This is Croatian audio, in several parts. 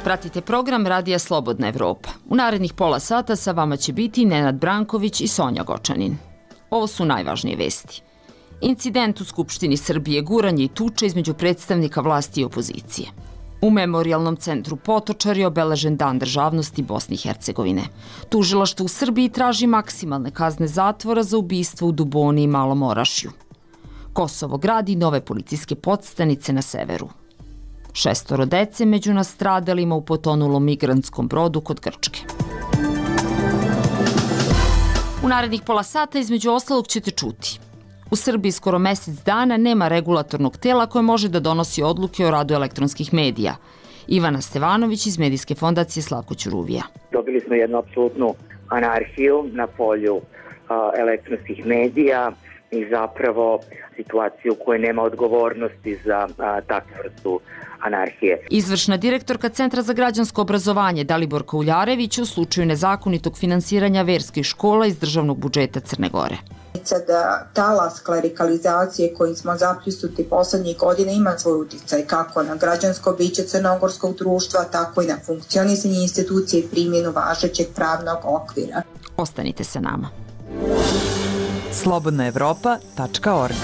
Pratite program Radija Slobodna Evropa. U narednih pola sata sa vama će biti Nenad Branković i Sonja Gočanin. Ovo su najvažnije vesti. Incident u Skupštini Srbije, guranje i tuča između predstavnika vlasti i opozicije. U Memorijalnom centru Potočar je obeležen Dan državnosti Bosne i Hercegovine. Tužilaštvo u Srbiji traži maksimalne kazne zatvora za ubistvo u Duboni i Malom Orašju. Kosovo gradi nove policijske podstanice na severu. 6 dece među nastradalima u potonulom migrantskom brodu kod Grčke. U narednih pola sata između ostalog ćete čuti. U Srbiji skoro mesec dana nema regulatornog tela koje može da donosi odluke o radu elektronskih medija. Ivana Stevanović iz Medijske fondacije Slavko Ćuruvija. Dobili smo jednu apsolutnu anarhiju na polju elektronskih medija i zapravo situaciju u kojoj nema odgovornosti za takvu vrstu anarhije. Izvršna direktorka Centra za građansko obrazovanje Daliborka Uljarević u slučaju nezakonitog finansiranja verskih škola iz državnog budžeta Crne Gore. Da talas klerikalizacije kojim smo zapljusnuti poslednjih godina ima svoj uticaj kako na građansko biće crnogorskog društva, tako i na funkcionisanje institucije i primjenu važećeg pravnog okvira. Ostanite sa nama. slobodnaevropa.org.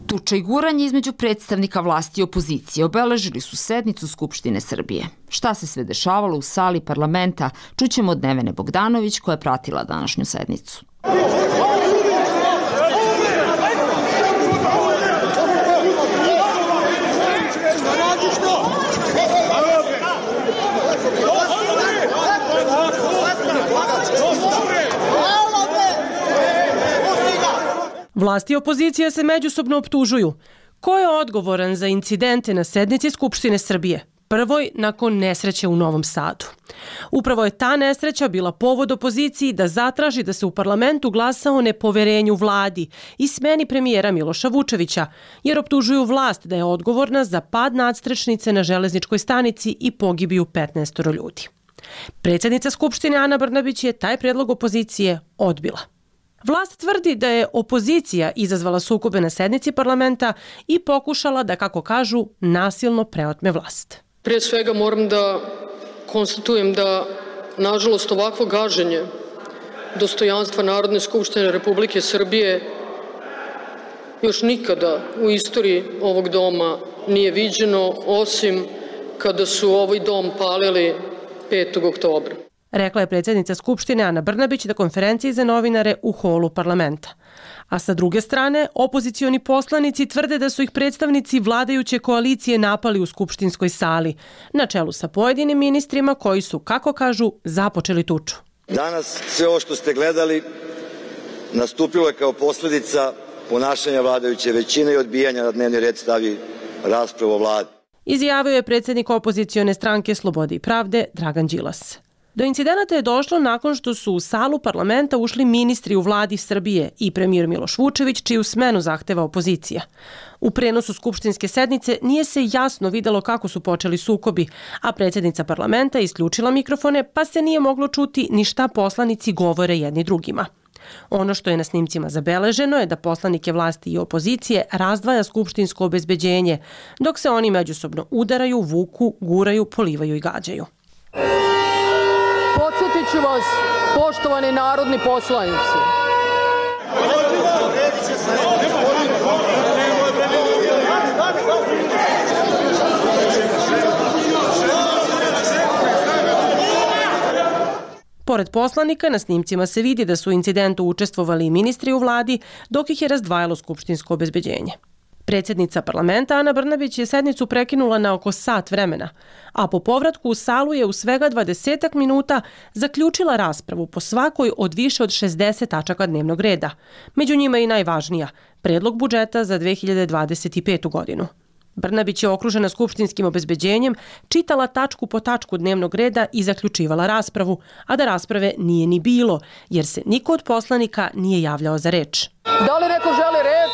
Tuča i guranje između predstavnika vlasti i opozicije obeležili su sednicu Skupštine Srbije. Šta se sve dešavalo u sali parlamenta, čućemo od Nevene Bogdanović koja je pratila današnju sednicu. Vlasti i opozicija se međusobno optužuju. Ko je odgovoran za incidente na sednici Skupštine Srbije? Prvoj nakon nesreće u Novom Sadu. Upravo je ta nesreća bila povod opoziciji da zatraži da se u parlamentu glasa o nepoverenju vladi i smeni premijera Miloša Vučevića, jer optužuju vlast da je odgovorna za pad nadstrešnice na železničkoj stanici i pogibiju 15 ljudi. Predsjednica Skupštine Ana Brnabić je taj predlog opozicije odbila. Vlast tvrdi da je opozicija izazvala sukobe na sednici parlamenta i pokušala da, kako kažu, nasilno preotme vlast. Prije svega moram da konstatujem da, nažalost, ovakvo gaženje dostojanstva Narodne skupštine Republike Srbije još nikada u istoriji ovog doma nije viđeno, osim kada su ovaj dom palili 5. oktobra. Rekla je predsjednica Skupštine Ana Brnabić na konferenciji za novinare u holu parlamenta. A sa druge strane, opozicioni poslanici tvrde da su ih predstavnici vladajuće koalicije napali u skupštinskoj sali, na čelu sa pojedinim ministrima koji su, kako kažu, započeli tuču. Danas sve ovo što ste gledali nastupilo je kao posljedica ponašanja vladajuće većine i odbijanja na dnevni red stavi raspravu o vladi. Izjavio je predsjednik opozicione stranke Slobode i pravde Dragan Đilas. Do incidenata je došlo nakon što su u salu parlamenta ušli ministri u vladi Srbije i premijer Miloš Vučević, čiju smenu zahteva opozicija. U prenosu skupštinske sednice nije se jasno videlo kako su počeli sukobi, a predsjednica parlamenta isključila mikrofone pa se nije moglo čuti ni šta poslanici govore jedni drugima. Ono što je na snimcima zabeleženo je da poslanike vlasti i opozicije razdvaja skupštinsko obezbeđenje, dok se oni međusobno udaraju, vuku, guraju, polivaju i gađaju. Podsjetit ću vas, poštovani narodni poslanici. Pored poslanika, na snimcima se vidi da su u incidentu učestvovali i ministri u vladi, dok ih je razdvajalo skupštinsko obezbeđenje. Predsjednica parlamenta Ana Brnabić je sednicu prekinula na oko sat vremena, a po povratku u salu je u svega 20 minuta zaključila raspravu po svakoj od više od 60 tačaka dnevnog reda. Među njima i najvažnija, predlog budžeta za 2025. godinu. Brnabić je okružena skupštinskim obezbeđenjem, čitala tačku po tačku dnevnog reda i zaključivala raspravu, a da rasprave nije ni bilo, jer se niko od poslanika nije javljao za reč. Da li neko želi reč?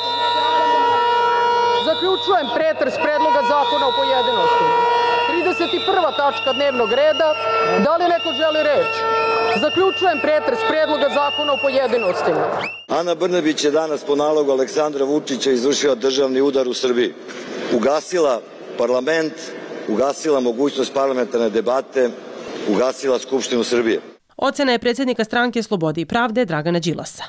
Zaključujem pretres predloga zakona u pojedinostima. 31. tačka dnevnog reda. Da li neko želi reč? Zaključujem pretres predloga zakona u pojedinostima. Ana Brnabić je danas po nalogu Aleksandra Vučića izvršila državni udar u Srbiji. Ugasila parlament, ugasila mogućnost parlamentarne debate, ugasila Skupštinu Srbije. Ocena je predsjednika stranke Slobode i pravde Dragana Đilasa.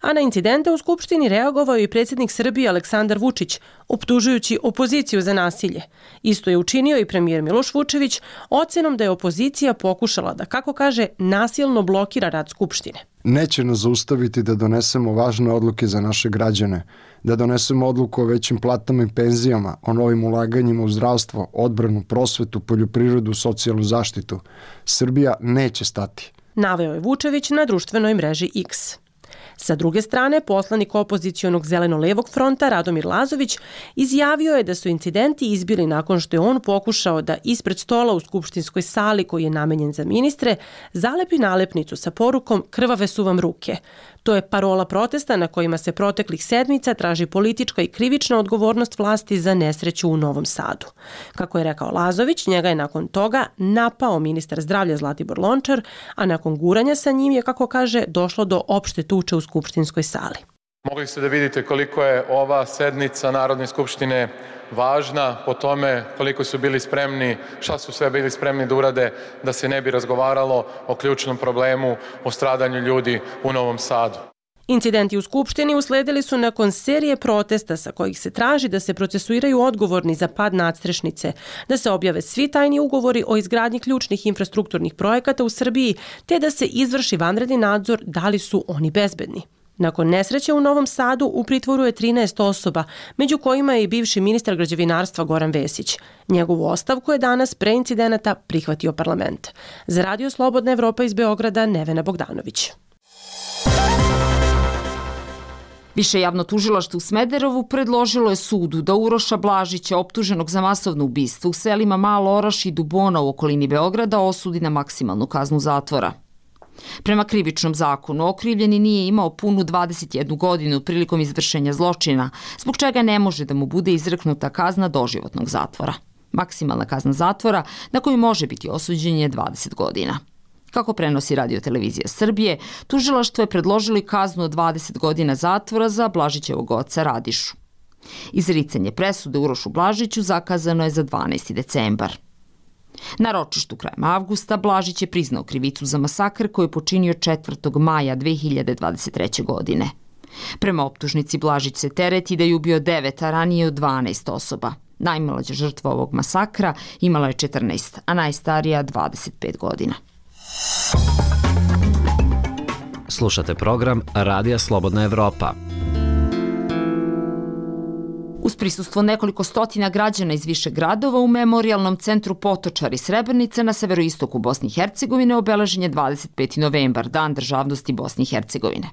A na incidente u Skupštini reagovao i predsjednik Srbije Aleksandar Vučić, optužujući opoziciju za nasilje. Isto je učinio i premijer Miloš Vučević ocenom da je opozicija pokušala da, kako kaže, nasilno blokira rad Skupštine. Neće nas zaustaviti da donesemo važne odluke za naše građane, da donesemo odluku o većim platama i penzijama, o novim ulaganjima u zdravstvo, odbranu, prosvetu, poljoprivredu, socijalnu zaštitu. Srbija neće stati. Naveo je Vučević na društvenoj mreži X. Sa druge strane, poslanik opozicionog zeleno-levog fronta Radomir Lazović izjavio je da su incidenti izbili nakon što je on pokušao da ispred stola u skupštinskoj sali koji je namenjen za ministre zalepi nalepnicu sa porukom "Krvave su vam ruke". To je parola protesta na kojima se proteklih sedmica traži politička i krivična odgovornost vlasti za nesreću u Novom Sadu. Kako je rekao Lazović, njega je nakon toga napao ministar zdravlja Zlatibor Lončar, a nakon guranja sa njim je, kako kaže, došlo do opšte tuče u skupštinskoj sali. Mogli ste da vidite koliko je ova sednica Narodne skupštine važna po tome koliko su bili spremni, šta su sve bili spremni da urade da se ne bi razgovaralo o ključnom problemu, o stradanju ljudi u Novom Sadu. Incidenti u Skupštini usledili su nakon serije protesta sa kojih se traži da se procesuiraju odgovorni za pad nadstrešnice, da se objave svi tajni ugovori o izgradnji ključnih infrastrukturnih projekata u Srbiji, te da se izvrši vanredni nadzor da li su oni bezbedni. Nakon nesreće u Novom Sadu u pritvoru je 13 osoba, među kojima je i bivši ministar građevinarstva Goran Vesić. Njegovu ostavku je danas pre incidenata prihvatio parlament. Za Radio Slobodna Evropa iz Beograda, Nevena Bogdanović. Više javno tužilaštvo u Smederevu predložilo je sudu da Uroša Blažića, optuženog za masovno ubistvo u selima Malo Oraš i Dubona u okolini Beograda, osudi na maksimalnu kaznu zatvora. Prema krivičnom zakonu, okrivljeni nije imao punu 21 godinu prilikom izvršenja zločina, zbog čega ne može da mu bude izreknuta kazna doživotnog zatvora. Maksimalna kazna zatvora na koju može biti osuđen je 20 godina. Kako prenosi Radio-televizija Srbije, tužilaštvo je predložilo kaznu od 20 godina zatvora za Blažićevog oca Radišu. Izricanje presude Urošu Blažiću zakazano je za 12. decembar. Na ročištu krajem avgusta Blažić je priznao krivicu za masakr koji je počinio 4. maja 2023. godine. Prema optužnici Blažić se tereti da je ubio 9, a ranije od 12 osoba. Najmlađa žrtva ovog masakra imala je 14, a najstarija 25 godina. Slušate program Radija Slobodna Evropa. Uz prisustvo nekoliko stotina građana iz više gradova u Memorijalnom centru Potočari Srebrenica na severoistoku Bosne i Hercegovine obeležen je 25. novembar, Dan državnosti Bosne i Hercegovine.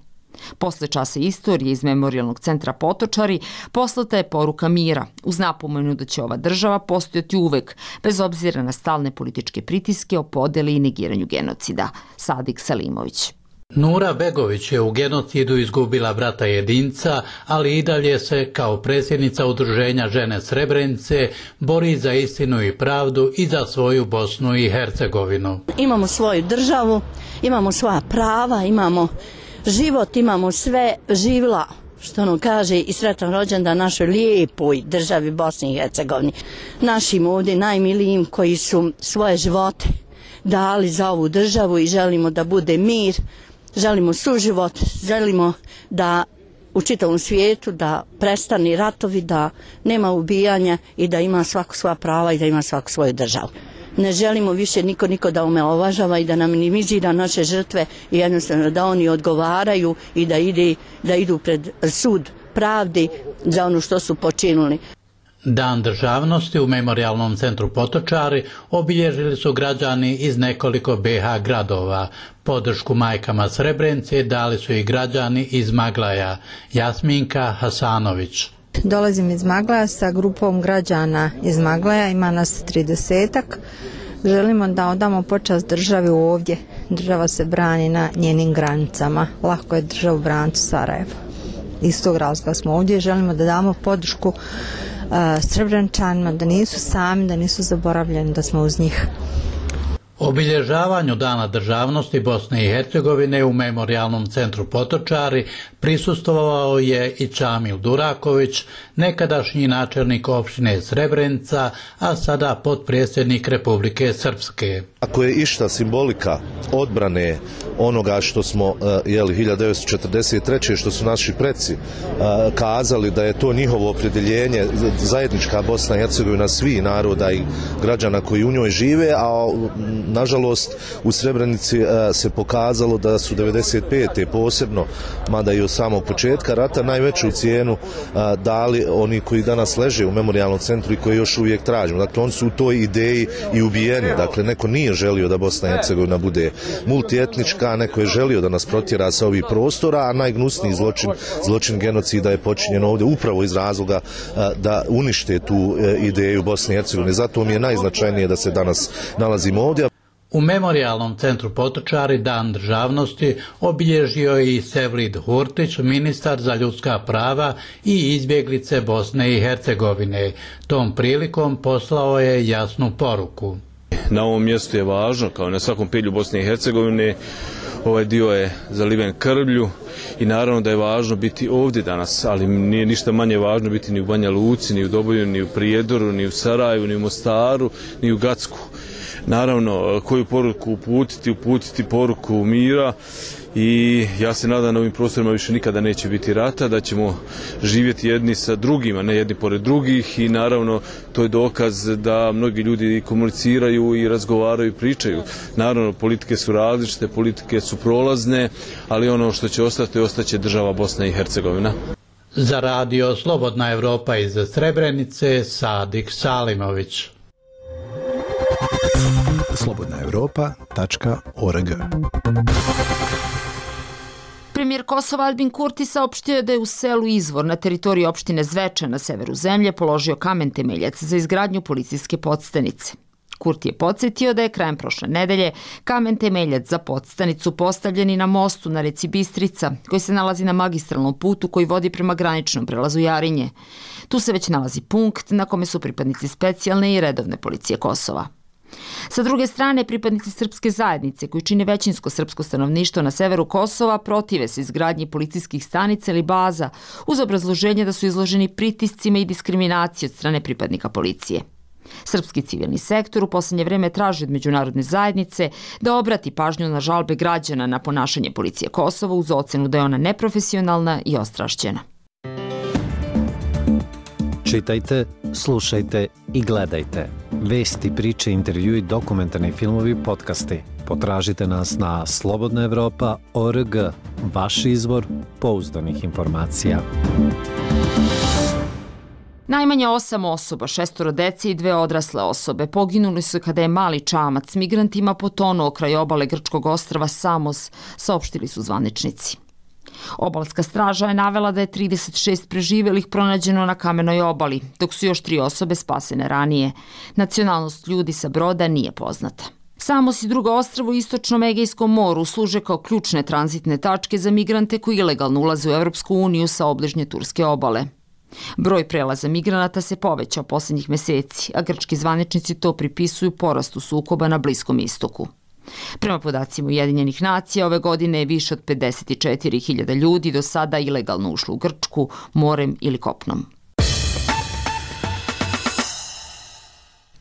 Posle časa istorije iz Memorijalnog centra Potočari poslata je poruka mira, uz napomenu da će ova država postojati uvek, bez obzira na stalne političke pritiske o podeli i negiranju genocida. Sadik Salimović. Nura Begović je u genocidu izgubila brata jedinca, ali i dalje se kao predsjednica Udruženja žene Srebrenice bori za istinu i pravdu i za svoju Bosnu i Hercegovinu. Imamo svoju državu, imamo svoja prava, imamo život, imamo sve, živla, što ono kaže, i sretan rođendan našoj lijepoj državi Bosni i Hercegovini. Našim ovdje najmilijim koji su svoje živote dali za ovu državu i želimo da bude mir, želimo suživot, želimo da u čitavom svijetu da prestani ratovi, da nema ubijanja i da ima svako svoja prava i da ima svako svoju državu. Ne želimo više niko da omalovažava i da nam minimizira naše žrtve i jednostavno da oni odgovaraju i da idu pred sud pravdi za ono što su počinili. Dan državnosti u Memorijalnom centru Potočari obilježili su građani iz nekoliko BiH gradova. Podršku majkama Srebrenice dali su i građani iz Maglaja. Jasminka Hasanović. Dolazim iz Maglaja sa grupom građana iz Maglaja, ima nas 30-ak. Želimo da odamo počast državi ovdje. Država se brani na njenim granicama. Lako je državu braniti Sarajevo. Iz tog razloga smo ovdje i želimo da damo podršku Srebreničanima, da nisu sami, da nisu zaboravljeni, da smo uz njih. Obilježavanju Dana državnosti Bosne i Hercegovine u Memorijalnom centru Potočari prisustvovao je i Čamil Duraković, nekadašnji načelnik opštine Srebrenica, a sada potpredsjednik Republike Srpske. Ako je išta simbolika odbrane onoga što smo 1943. što su naši preci kazali da je to njihovo opredjeljenje, zajednička Bosna i Hercegovina svih naroda i građana koji u njoj žive, a nažalost u Srebrenici se pokazalo da su 95. posebno, mada i od samog početka rata, najveću cijenu dali oni koji danas leže u memorijalnom centru i koji još uvijek tražimo. Dakle, oni su u toj ideji i ubijeni. Dakle, neko nije želio da Bosna i Hercegovina bude multietnička, neko je želio da nas protjera sa ovih prostora, a najgnusniji zločin genocida je počinjen ovdje upravo iz razloga da unište tu ideju Bosne i Hercegovine. Zato mi je najznačajnije da se danas nalazimo ovdje. U Memorijalnom centru Potočari Dan državnosti obilježio je i Sevlid Hurtić, ministar za ljudska prava i izbjeglice Bosne i Hercegovine. Tom prilikom poslao je jasnu poruku. Na ovom mjestu je važno, kao na svakom pedlju Bosne i Hercegovine, ovaj dio je zaliven krvlju i naravno da je važno biti ovdje danas, ali nije ništa manje važno biti ni u Banja Luci, ni u Doboju, ni u Prijedoru, ni u Sarajevu, ni u Mostaru, ni u Gacku. Naravno, koju poruku uputiti poruku mira i ja se nadam da na ovim prostorima više nikada neće biti rata, da ćemo živjeti jedni sa drugima, ne jedni pored drugih i naravno to je dokaz da mnogi ljudi komuniciraju i razgovaraju i pričaju. Naravno, politike su različite, politike su prolazne, ali ono što će ostati, ostaće država Bosna i Hercegovina. Za radio Slobodna Evropa iz Srebrenice, Sadik Salimović. slobodnaevropa.org. Premijer Kosova Albin Kurti saopštio je da je u selu Izvor na teritoriji opštine Zvečan na severu zemlje položio kamen temeljac za izgradnju policijske podstanice. Kurti je podsjetio da je krajem prošle nedelje kamen temeljac za podstanicu postavljen i na mostu na reci Bistrica, koji se nalazi na magistralnom putu koji vodi prema graničnom prelazu Jarinje. Tu se već nalazi punkt na kome su pripadnici specijalne i redovne policije Kosova. Sa druge strane, pripadnici srpske zajednice koji čine većinsko srpsko stanovništvo na severu Kosova protive se izgradnji policijskih stanica ili baza uz obrazloženje da su izloženi pritiscima i diskriminaciji od strane pripadnika policije. Srpski civilni sektor u posljednje vreme traži od međunarodne zajednice da obrati pažnju na žalbe građana na ponašanje policije Kosova uz ocenu da je ona neprofesionalna i ostrašćena. Čitajte, slušajte i gledajte. Vesti, priče, intervjui, dokumentarni filmovi, podcasti. Potražite nas na slobodnaevropa.org, vaš izvor pouzdanih informacija. Najmanje 8 osoba, 6 dece i 2 odrasle osobe poginuli su kada je mali čamac s migrantima potonuo kraj obale grčkog ostrva Samos, saopštili su zvaničnici. Obalska straža je navela da je 36 preživelih pronađeno na kamenoj obali, dok su još 3 osobe spasene ranije. Nacionalnost ljudi sa broda nije poznata. Samos i drugo ostrvo u istočnom Egejskom moru služe kao ključne tranzitne tačke za migrante koji ilegalno ulaze u Europsku uniju sa obližnje turske obale. Broj prelaza migranata se povećao posljednjih meseci, a grčki zvaničnici to pripisuju porastu sukoba na Bliskom istoku. Prema podacima Ujedinjenih nacija, ove godine je više od 54.000 ljudi do sada ilegalno ušlo u Grčku, morem ili kopnom.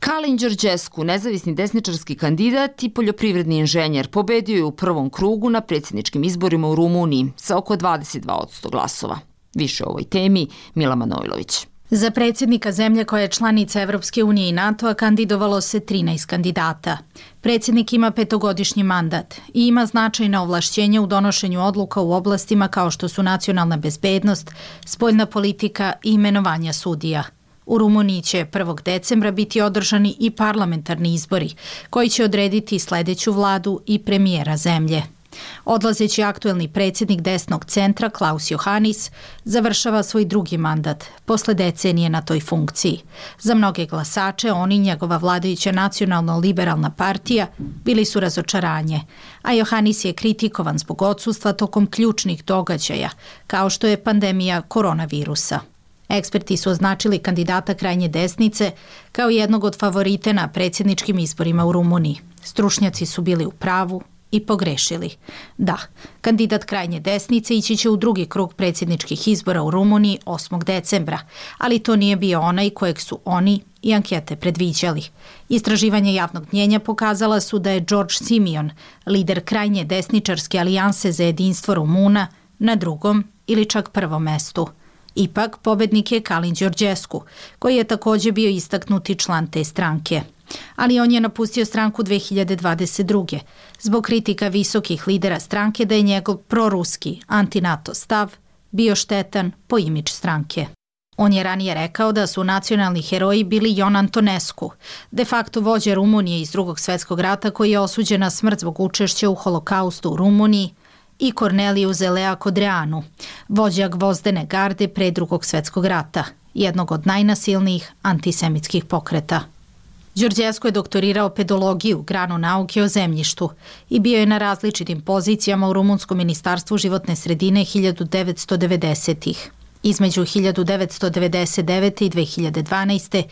Kalin Đorđescu, nezavisni desničarski kandidat i poljoprivredni inženjer, pobedio je u prvom krugu na predsjedničkim izborima u Rumuniji sa oko 22% glasova. Više o ovoj temi Mila Manojlović. Za predsjednika zemlje koja je članica Evropske unije i NATO-a kandidovalo se 13 kandidata. Predsjednik ima 5-godišnji mandat i ima značajna ovlašćenja u donošenju odluka u oblastima kao što su nacionalna bezbednost, spoljna politika i imenovanja sudija. U Rumuniji će 1. decembra biti održani i parlamentarni izbori koji će odrediti sljedeću vladu i premijera zemlje. Odlazeći aktuelni predsjednik desnog centra Klaus Johannis završava svoj drugi mandat posle decenije na toj funkciji. Za mnoge glasače on i njegova vladajuća nacionalno-liberalna partija bili su razočaranje, a Johannis je kritikovan zbog odsustva tokom ključnih događaja kao što je pandemija koronavirusa. Eksperti su označili kandidata krajnje desnice kao jednog od favorite na predsjedničkim izborima u Rumuniji. Stručnjaci su bili u pravu i pogrešili. Da, kandidat krajnje desnice ići će u drugi krug predsjedničkih izbora u Rumuniji 8. decembra, ali to nije bio onaj kojeg su oni i ankete predviđali. Istraživanje javnog mnjenja pokazala su da je George Simeon, lider krajnje desničarske alijanse za jedinstvo Rumuna, na drugom ili čak prvom mestu. Ipak, pobednik je Kalin Đorđescu, koji je također bio istaknuti član te stranke. Ali on je napustio stranku 2022. zbog kritika visokih lidera stranke da je njegov proruski, anti-NATO stav bio štetan po imidž stranke. On je ranije rekao da su nacionalni heroji bili Ion Antonescu, de facto vođa Rumunije iz Drugog svjetskog rata koji je osuđen na smrt zbog učešća u holokaustu u Rumuniji, i Corneliu Zelea Codreanu, vođa Gvozdene garde pre Drugog svjetskog rata, jednog od najnasilnijih antisemitskih pokreta. Đorđescu je doktorirao pedologiju, granu nauke o zemljištu, i bio je na različitim pozicijama u Rumunskom ministarstvu životne sredine 1990-ih. Između 1999. i 2012.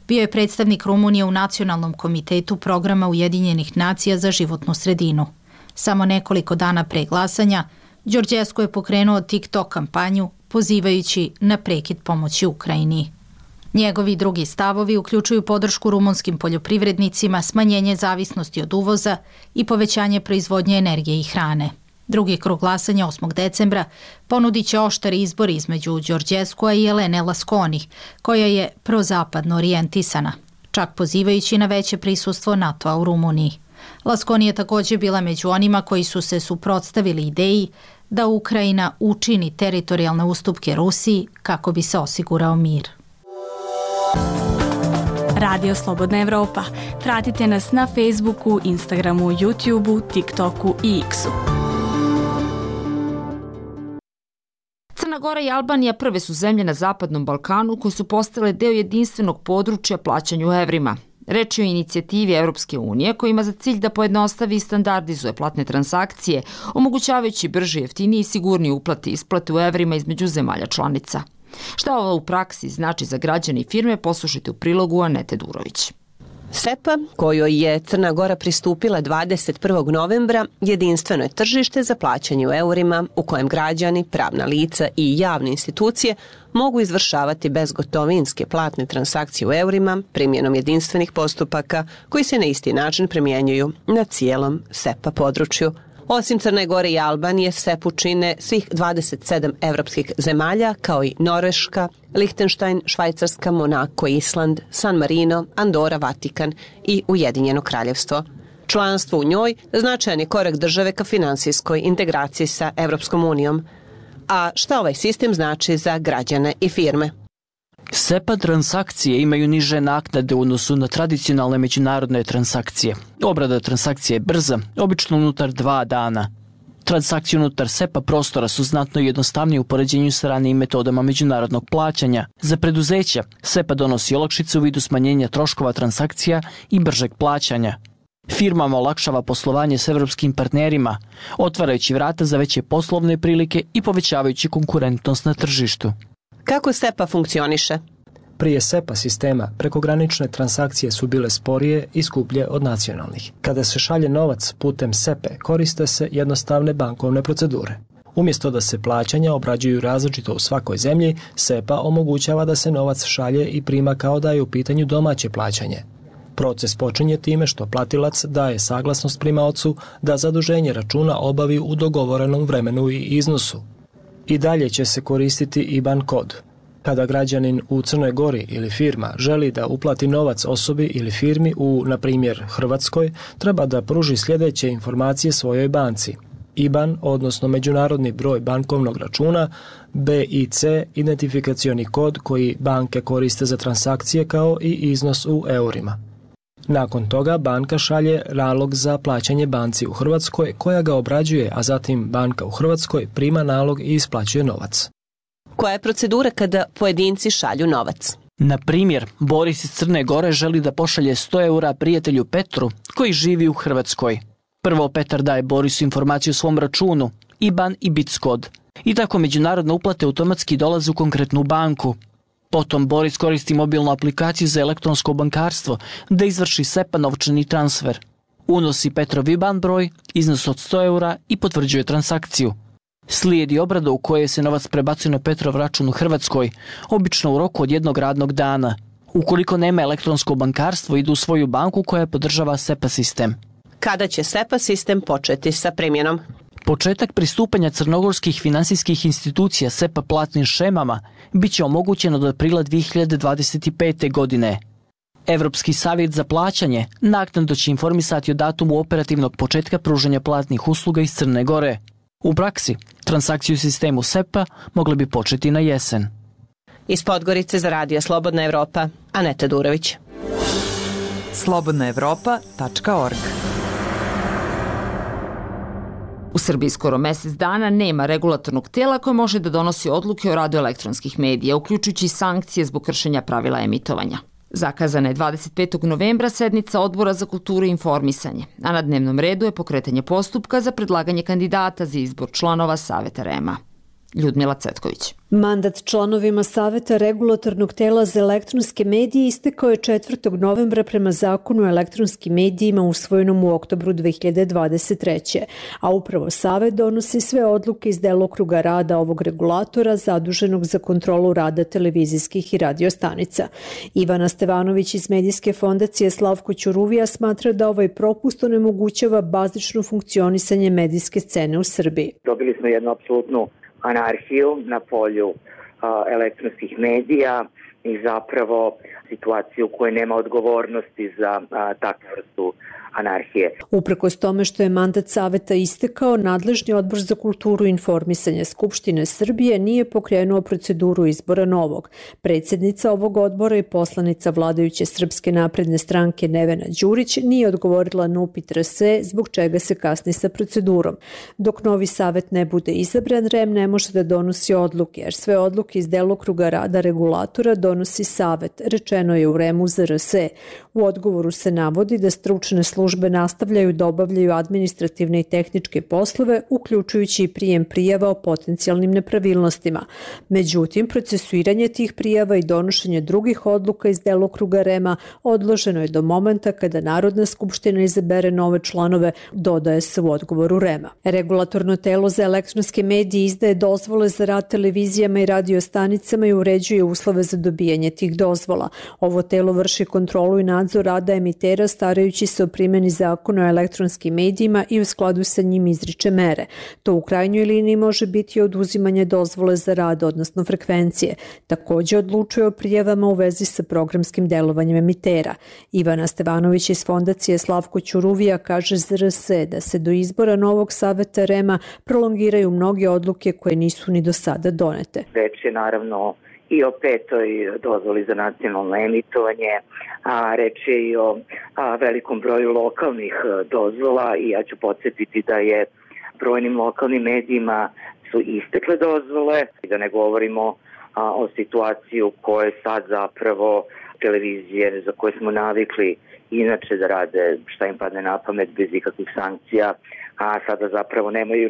bio je predstavnik Rumunije u Nacionalnom komitetu programa Ujedinjenih nacija za životnu sredinu. Samo nekoliko dana pre glasanja, Đorđescu je pokrenuo TikTok kampanju pozivajući na prekid pomoći Ukrajini. Njegovi drugi stavovi uključuju podršku rumunskim poljoprivrednicima, smanjenje zavisnosti od uvoza i povećanje proizvodnje energije i hrane. Drugi krug glasanja 8. decembra ponudit će oštar izbor između Đorđescua i Elene Lasconi, koja je prozapadno orijentisana, čak pozivajući na veće prisustvo NATO-a u Rumuniji. Lasconi je također bila među onima koji su se suprotstavili ideji da Ukrajina učini teritorijalne ustupke Rusiji kako bi se osigurao mir. Radio Slobodna Evropa. Pratite nas na Facebooku, Instagramu, YouTubeu, TikToku i X-u. Crna Gora i Albanija prve su zemlje na Zapadnom Balkanu koje su postale deo jedinstvenog područja plaćanja u evrima. Reč je o inicijativi Evropske unije koja ima za cilj da pojednostavi i standardizuje platne transakcije, omogućavajući brže, jeftinije i sigurnije uplate i isplate u evrima između zemalja članica. Šta ovo u praksi znači za građane i firme, poslušajte u prilogu Anete Durović. SEPA, kojoj je Crna Gora pristupila 21. novembra, jedinstveno je tržište za plaćanje u eurima u kojem građani, pravna lica i javne institucije mogu izvršavati bezgotovinske platne transakcije u eurima primjenom jedinstvenih postupaka koji se na isti način primjenjuju na cijelom SEPA području. Osim Crne Gore i Albanije, SEPU čine svih 27 evropskih zemalja, kao i Norveška, Lihtenštajn, Švajcarska, Monako, Island, San Marino, Andora, Vatikan i Ujedinjeno kraljevstvo. Članstvo u njoj značajan je korak države ka finansijskoj integraciji sa Evropskom unijom. A šta ovaj sistem znači za građane i firme? SEPA transakcije imaju niže naknade u odnosu na tradicionalne međunarodne transakcije. Obrada transakcije je brza, obično unutar 2 dana. Transakcije unutar SEPA prostora su znatno jednostavnije u poređenju sa ranijim metodama međunarodnog plaćanja. Za preduzeća, SEPA donosi olakšice u vidu smanjenja troškova transakcija i bržeg plaćanja. Firmama olakšava poslovanje s evropskim partnerima, otvarajući vrata za veće poslovne prilike i povećavajući konkurentnost na tržištu. Kako SEPA funkcioniše? Prije SEPA sistema prekogranične transakcije su bile sporije i skuplje od nacionalnih. Kada se šalje novac putem SEPA koriste se jednostavne bankovne procedure. Umjesto da se plaćanja obrađuju različito u svakoj zemlji, SEPA omogućava da se novac šalje i prima kao da je u pitanju domaće plaćanje. Proces počinje time što platilac daje saglasnost primaocu da zaduženje računa obavi u dogovorenom vremenu i iznosu. I dalje će se koristiti IBAN kod. Kada građanin u Crnoj Gori ili firma želi da uplati novac osobi ili firmi u, na primjer, Hrvatskoj, treba da pruži sljedeće informacije svojoj banci. IBAN, odnosno međunarodni broj bankovnog računa, BIC, identifikacioni kod koji banke koriste za transakcije kao i iznos u eurima. Nakon toga banka šalje nalog za plaćanje banci u Hrvatskoj koja ga obrađuje, a zatim banka u Hrvatskoj prima nalog i isplaćuje novac. Koja je procedura kada pojedinci šalju novac? Na primjer, Boris iz Crne Gore želi da pošalje 100 eura prijatelju Petru koji živi u Hrvatskoj. Prvo Petar daje Borisu informaciju o svom računu, IBAN i BIC kod. I tako međunarodne uplate automatski dolaze u konkretnu banku. Potom Boris koristi mobilnu aplikaciju za elektronsko bankarstvo da izvrši SEPA novčani transfer. Unosi Petrov IBAN broj, iznos od 100 eura i potvrđuje transakciju. Slijedi obrada u kojoj se novac prebacuje na Petrov račun u Hrvatskoj, obično u roku od 1 radnog dana. Ukoliko nema elektronsko bankarstvo, idu u svoju banku koja podržava SEPA sistem. Kada će SEPA sistem početi sa primjenom? Početak pristupanja crnogorskih finansijskih institucija SEPA platnim šemama biće omogućeno do aprila 2025. godine. Evropski savjet za plaćanje naknadno će informisati o datumu operativnog početka pružanja platnih usluga iz Crne Gore. U praksi, transakciju u sistemu SEPA mogle bi početi na jesen. Iz Podgorice za Radio Slobodna Evropa, Aneta Durović. slobodnaevropa.org. U Srbiji skoro mesec dana nema regulatornog tela koje može da donosi odluke o radu elektronskih medija, uključujući sankcije zbog kršenja pravila emitovanja. Zakazana je 25. novembra sednica Odbora za kulturu i informisanje, a na dnevnom redu je pokretanje postupka za predlaganje kandidata za izbor članova Saveta REM-a. Ljudmila Cvetković. Mandat članovima Saveta regulatornog tela za elektronske medije istekao je 4. novembra prema Zakonu o elektronskim medijima usvojenom u oktobru 2023. A upravo Savet donosi sve odluke iz delokruga rada ovog regulatora zaduženog za kontrolu rada televizijskih i radio stanica. Ivana Stevanović iz Medijske fondacije Slavko Ćuruvija smatra da ovaj propust onemogućava bazično funkcionisanje medijske scene u Srbiji. Dobili smo jednu apsolutnu anarhiju na polju elektronskih medija i zapravo situaciju u kojoj nema odgovornosti za takvu vrstu anarhije. Uprkos tome što je mandat Saveta istekao, nadležni Odbor za kulturu i informisanje Skupštine Srbije nije pokrenuo proceduru izbora novog. Predsjednica ovog odbora i poslanica vladajuće Srpske napredne stranke Nevena Đurić nije odgovorila na upit RS zbog čega se kasni sa procedurom. Dok novi Savet ne bude izabran, REM ne može da donosi odluke, jer sve odluke iz delokruga rada regulatora donosi Savet, rečeno je u REM-u za RS. U odgovoru se navodi da stručne službe nastavljaju da obavljaju administrativne i tehničke poslove, uključujući i prijem prijava o potencijalnim nepravilnostima. Međutim, procesuiranje tih prijava i donošenje drugih odluka iz delokruga REM-a odloženo je do momenta kada Narodna skupština izabere nove članove, dodaje se u odgovoru REM-a. Regulatorno telo za elektronske medije izdaje dozvole za rad televizijama i radiostanicama i uređuje uslove za dobijanje tih dozvola. Ovo telo vrši kontrolu i nadzor rada emitera starajući se o primjeni zakona o elektronskim medijima i u skladu sa njim izriče mere. To u krajnjoj liniji može biti oduzimanje dozvole za rad, odnosno frekvencije. Također odlučuje o prijavama u vezi sa programskim delovanjem emitera. Ivana Stevanović iz fondacije Slavko Ćuruvija kaže za RS da se do izbora novog Saveta REM-a prolongiraju mnoge odluke koje nisu ni do sada donete. Reč je naravno i o 5. dozvoli za nacionalno emitovanje, a reč je i o velikom broju lokalnih dozvola i ja ću podsjetiti da je brojnim lokalnim medijima su istekle dozvole i da ne govorimo o situaciji u kojoj sad zapravo televizije za koje smo navikli inače da rade šta im padne na pamet bez ikakvih sankcija, a sada zapravo nemaju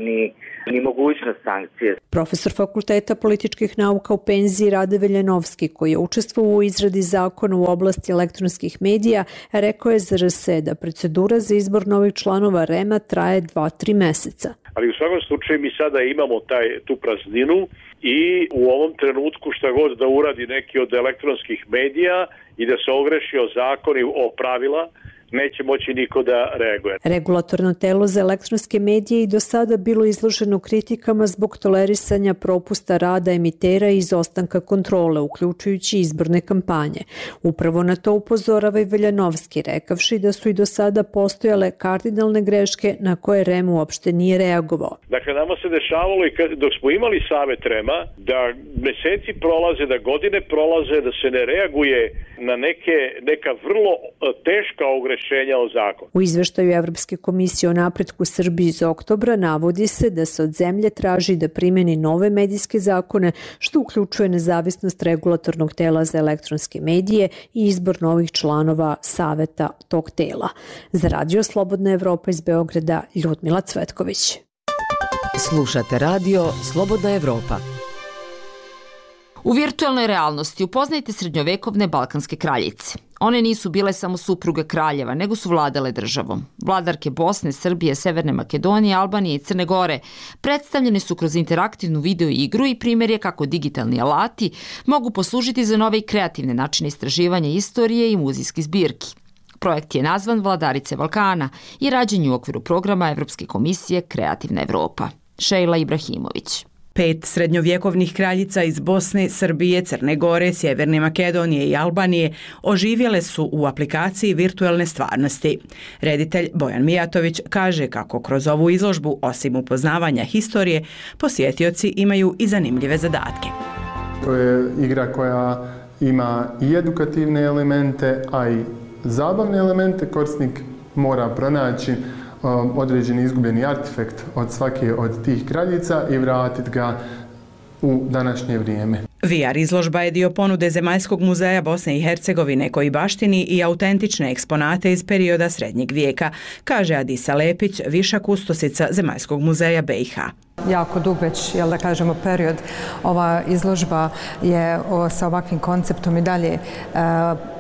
ni mogućnost sankcije. Profesor Fakulteta političkih nauka u penziji Rade Veljanovski, koji je učestvovao u izradi zakona u oblasti elektronskih medija, rekao je za RS da procedura za izbor novih članova REM-a traje 2-3 meseca. Ali u svakom slučaju mi sada imamo tu prazninu i u ovom trenutku šta god da uradi neki od elektronskih medija i da se ogreši o zakoni, o pravila, neće moći niko da reaguje. Regulatorno telo za elektronske medije i do sada bilo izloženo kritikama zbog tolerisanja propusta rada emitera i izostanka kontrole, uključujući izborne kampanje. Upravo na to upozorava i Veljanovski, rekavši da su i do sada postojale kardinalne greške na koje REM uopšte nije reagovao. Dakle, nama se dešavalo i dok smo imali Savet REM-a, da meseci prolaze, da godine prolaze, da se ne reaguje na neka vrlo teška ogrešenja o zakonu. U izveštaju Evropske komisije o napretku Srbiji iz oktobra navodi se da se od zemlje traži da primeni nove medijske zakone, što uključuje nezavisnost regulatornog tela za elektronske medije i izbor novih članova saveta tog tela. Za Radio Slobodna Evropa iz Beograda, Ljudmila Cvetković. Slušate Radio Slobodna Evropa. U virtualnoj realnosti upoznajte srednjovekovne balkanske kraljice. One nisu bile samo supruge kraljeva, nego su vladale državom. Vladarke Bosne, Srbije, Severne Makedonije, Albanije i Crne Gore predstavljene su kroz interaktivnu video igru i primjer je kako digitalni alati mogu poslužiti za nove i kreativne načine istraživanja istorije i muzejskih zbirki. Projekt je nazvan Vladarice Balkana i rađen je u okviru programa Evropske komisije Kreativna Evropa. Šejla Ibrahimović. 5 srednjovjekovnih kraljica iz Bosne, Srbije, Crne Gore, Sjeverne Makedonije i Albanije oživjele su u aplikaciji virtualne stvarnosti. Reditelj Bojan Mijatović kaže kako kroz ovu izložbu, osim upoznavanja historije, posjetioci imaju i zanimljive zadatke. To je igra koja ima i edukativne elemente, a i zabavne elemente. Korisnik mora pronaći određeni izgubljeni artefakt od svake od tih kraljica i vratiti ga u današnje vrijeme. VR izložba je dio ponude Zemaljskog muzeja Bosne i Hercegovine koji baštini i autentične eksponate iz perioda Srednjeg vijeka, kaže Adisa Lepić, viša kustosica Zemaljskog muzeja BiH. Jako dug već, da kažemo, period. Ova izložba je sa ovakvim konceptom i dalje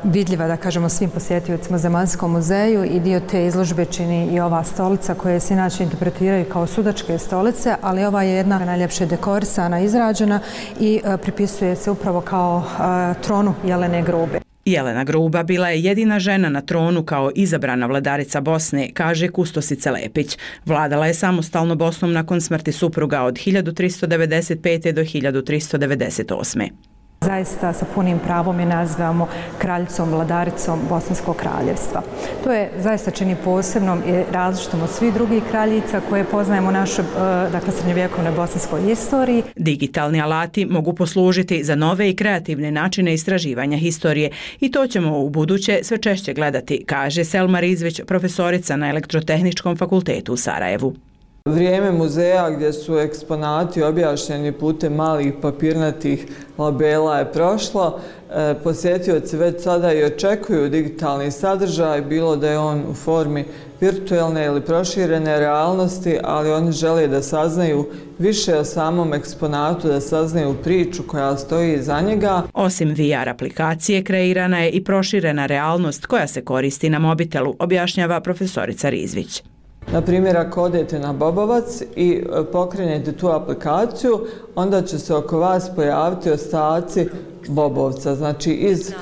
vidljiva, da kažemo, svim posjetiocima Zemaljskom muzeju i dio te izložbe čini i ova stolica koje se inače interpretiraju kao sudačke stolice, ali ova je jedna najljepše dekorisana, izrađena i pripisuje se upravo kao tronu Jelene Grube. Jelena Gruba bila je jedina žena na tronu kao izabrana vladarica Bosne, kaže kustosica Lepić. Vladala je samostalno Bosnom nakon smrti supruga od 1395. do 1398. Zaista sa punim pravom je nazivamo kraljicom, vladaricom Bosanskog kraljevstva. To je zaista čini posebnom i različitom od svih drugih kraljica koje poznajemo u našoj srednjovjekovnoj bosanskoj istoriji. Digitalni alati mogu poslužiti za nove i kreativne načine istraživanja historije i to ćemo u buduće sve češće gledati, kaže Selma Rizvić, profesorica na Elektrotehničkom fakultetu u Sarajevu. Vrijeme muzeja gdje su eksponati objašnjeni putem malih papirnatih labela je prošlo. Posjetioci već sada i očekuju digitalni sadržaj, bilo da je on u formi virtualne ili proširene realnosti, ali oni žele da saznaju više o samom eksponatu, da saznaju priču koja stoji iza njega. Osim VR aplikacije, kreirana je i proširena realnost koja se koristi na mobitelu, objašnjava profesorica Rizvić. Na primjer, ako odete na Bobovac i pokrenete tu aplikaciju, onda će se oko vas pojaviti ostaci Bobovca, znači iz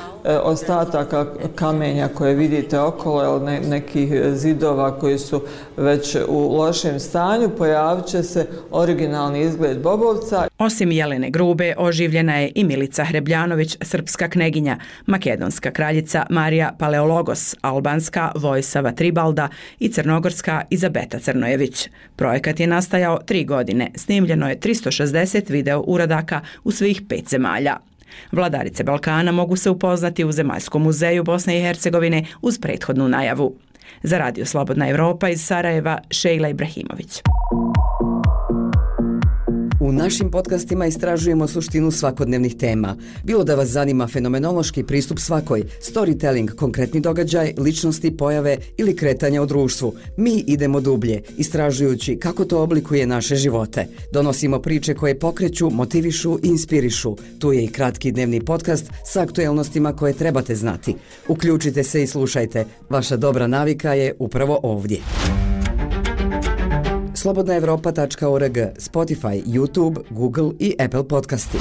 ostataka kamenja koje vidite okolo ili nekih zidova koji su već u lošem stanju, pojavit će se originalni izgled Bobovca. Osim Jelene Grube, oživljena je i Milica Hrebljanović, srpska kneginja, makedonska kraljica Marija Paleologos, albanska Vojsava Tribalda i crnogorska Izabeta Crnojević. Projekat je nastajao 3 godine, snimljeno je 360 video uradaka u svih 5 zemalja. Vladarice Balkana mogu se upoznati u Zemaljskom muzeju Bosne i Hercegovine uz prethodnu najavu. Za Radio Slobodna Evropa iz Sarajeva, Šejla Ibrahimović. U našim podcastima istražujemo suštinu svakodnevnih tema. Bilo da vas zanima fenomenološki pristup svakoj, storytelling, konkretni događaj, ličnosti, pojave ili kretanja u društvu, mi idemo dublje, istražujući kako to oblikuje naše živote. Donosimo priče koje pokreću, motivišu i inspirišu. Tu je i kratki dnevni podcast sa aktuelnostima koje trebate znati. Uključite se i slušajte. Vaša dobra navika je upravo ovdje. slobodnaevropa.org, Spotify, YouTube, Google i Apple podcasti.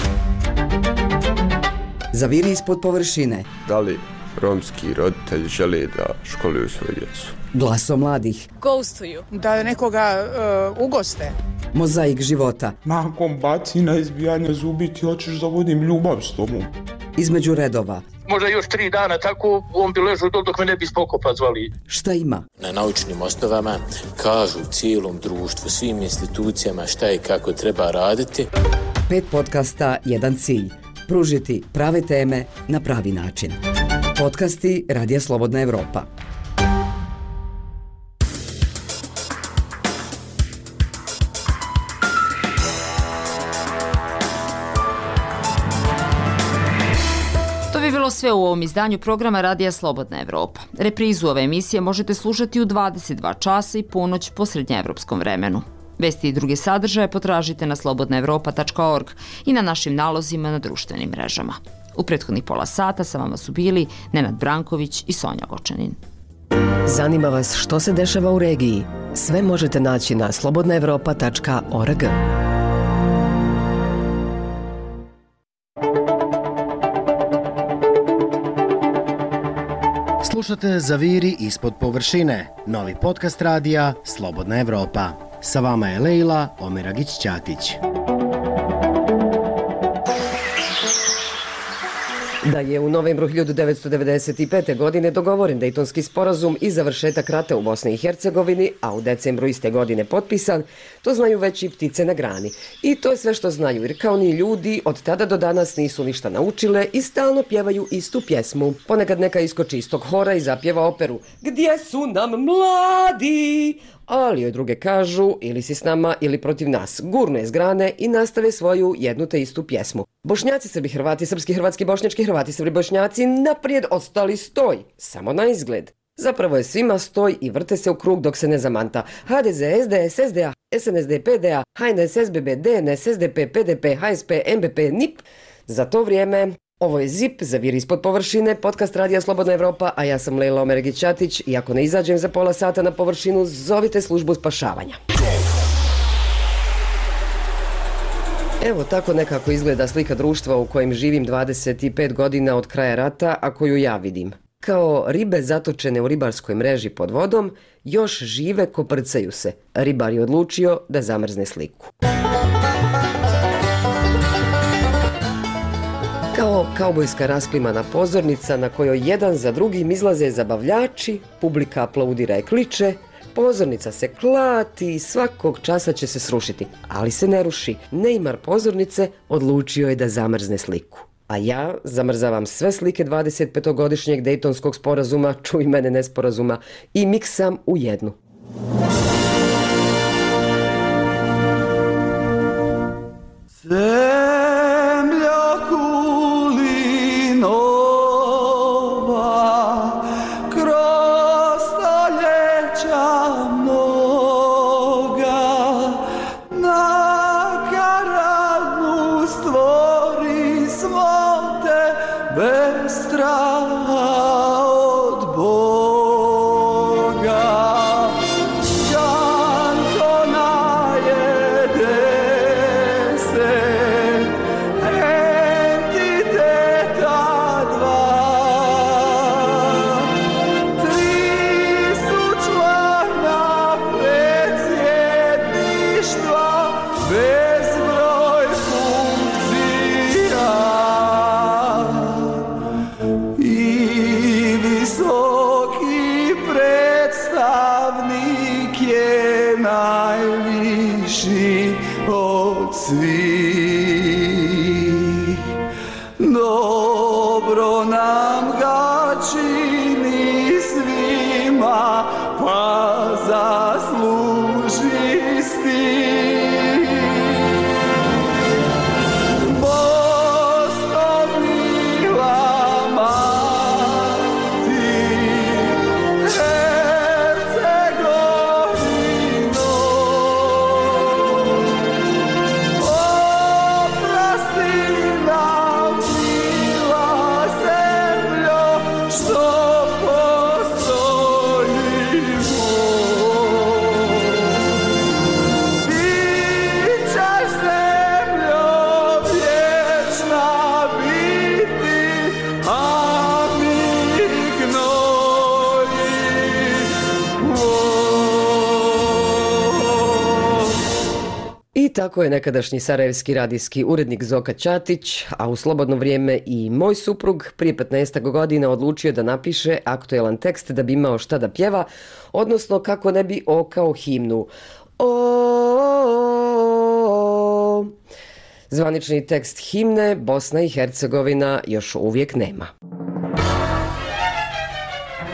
Zaviri ispod površine. Da li romski roditelji žele da školuju svoju djecu? Glaso mladih. Ghostuju. Da nekoga ugoste. Mozaik života. Nakon bacina, izbijanja zubi ti hoćeš da vodim ljubav s tobom. Između redova. Možda još 3 dana tako on bi ležao dok me ne bi spokopa zvali. Šta ima? Na naučnim osnovama kažu cijelom društvu, svim institucijama šta i kako treba raditi. 5 podcasta, 1 cilj. Pružiti prave teme na pravi način. Podcasti Radija Slobodna Evropa. Bilo sve u ovom izdanju programa Radija Slobodna Evropa. Reprizu ove emisije možete slušati u 22 časa i ponoć po srednjeevropskom vremenu. Vesti i druge sadržaje potražite na slobodnaevropa.org i na našim nalozima na društvenim mrežama. U prethodnih pola sata sa vama su bili Nenad Branković i Sonja Gočanin. Zanima vas što se dešava u regiji? Sve možete naći na slobodnaevropa.org. Slušate Zaviri ispod površine, novi podcast radija Slobodna Evropa. Sa vama je Lejla Omeragić-Ćatić. Da je u novembru 1995. godine dogovoren Dejtonski sporazum i završetak rata u Bosni i Hercegovini, a u decembru iste godine potpisan, to znaju već i ptice na grani. I to je sve što znaju, jer kao ni ljudi od tada do danas nisu ništa naučile i stalno pjevaju istu pjesmu. Ponekad neka iskoči iz tog hora i zapjeva operu "Gdje su nam mladi?", ali joj druge kažu ili si s nama ili protiv nas, gurnu je s grane i nastave svoju jednu te istu pjesmu. Bošnjaci, Srbi, Hrvati, srpski, hrvatski, bošnjački, Hrvati, Srbi, Bošnjaci, naprijed, ostali stoj, samo na izgled. Zapravo je svima stoj i vrte se u krug dok se ne zamanta. HDZ, SDS, SDA, SNSD, PDA, HNS, SBB, DNS, SDP, PDP, HSP, MBP, NIP. Za to vrijeme, ovo je ZIP, Zaviri ispod površine, podcast radija Slobodna Evropa, a ja sam Lejla Omeragić-Ćatić i ako ne izađem za pola sata na površinu, zovite službu spašavanja. Evo tako nekako izgleda slika društva u kojem živim 25 godina od kraja rata, a koju ja vidim. Kao ribe zatočene u ribarskoj mreži pod vodom, još žive koprcaju se. Ribar je odlučio da zamrzne sliku. Kao kaubojska rasklimana pozornica na kojoj jedan za drugim izlaze zabavljači, publika aplaudira i kliče, pozornica se klati i svakog časa će se srušiti, ali se ne ruši. Neymar pozornice odlučio je da zamrzne sliku. A ja zamrzavam sve slike 25-godišnjeg Dejtonskog sporazuma, čuj mene nesporazuma, i miksam u jednu. Tako je nekadašnji sarajevski radijski urednik Zoka Ćatić, a u slobodno vrijeme i moj suprug prije 15 godina odlučio da napiše aktuelan tekst da bi imao šta da pjeva, odnosno kako ne bi okao himnu. Zvanični tekst himne Bosna i Hercegovina još uvijek nema.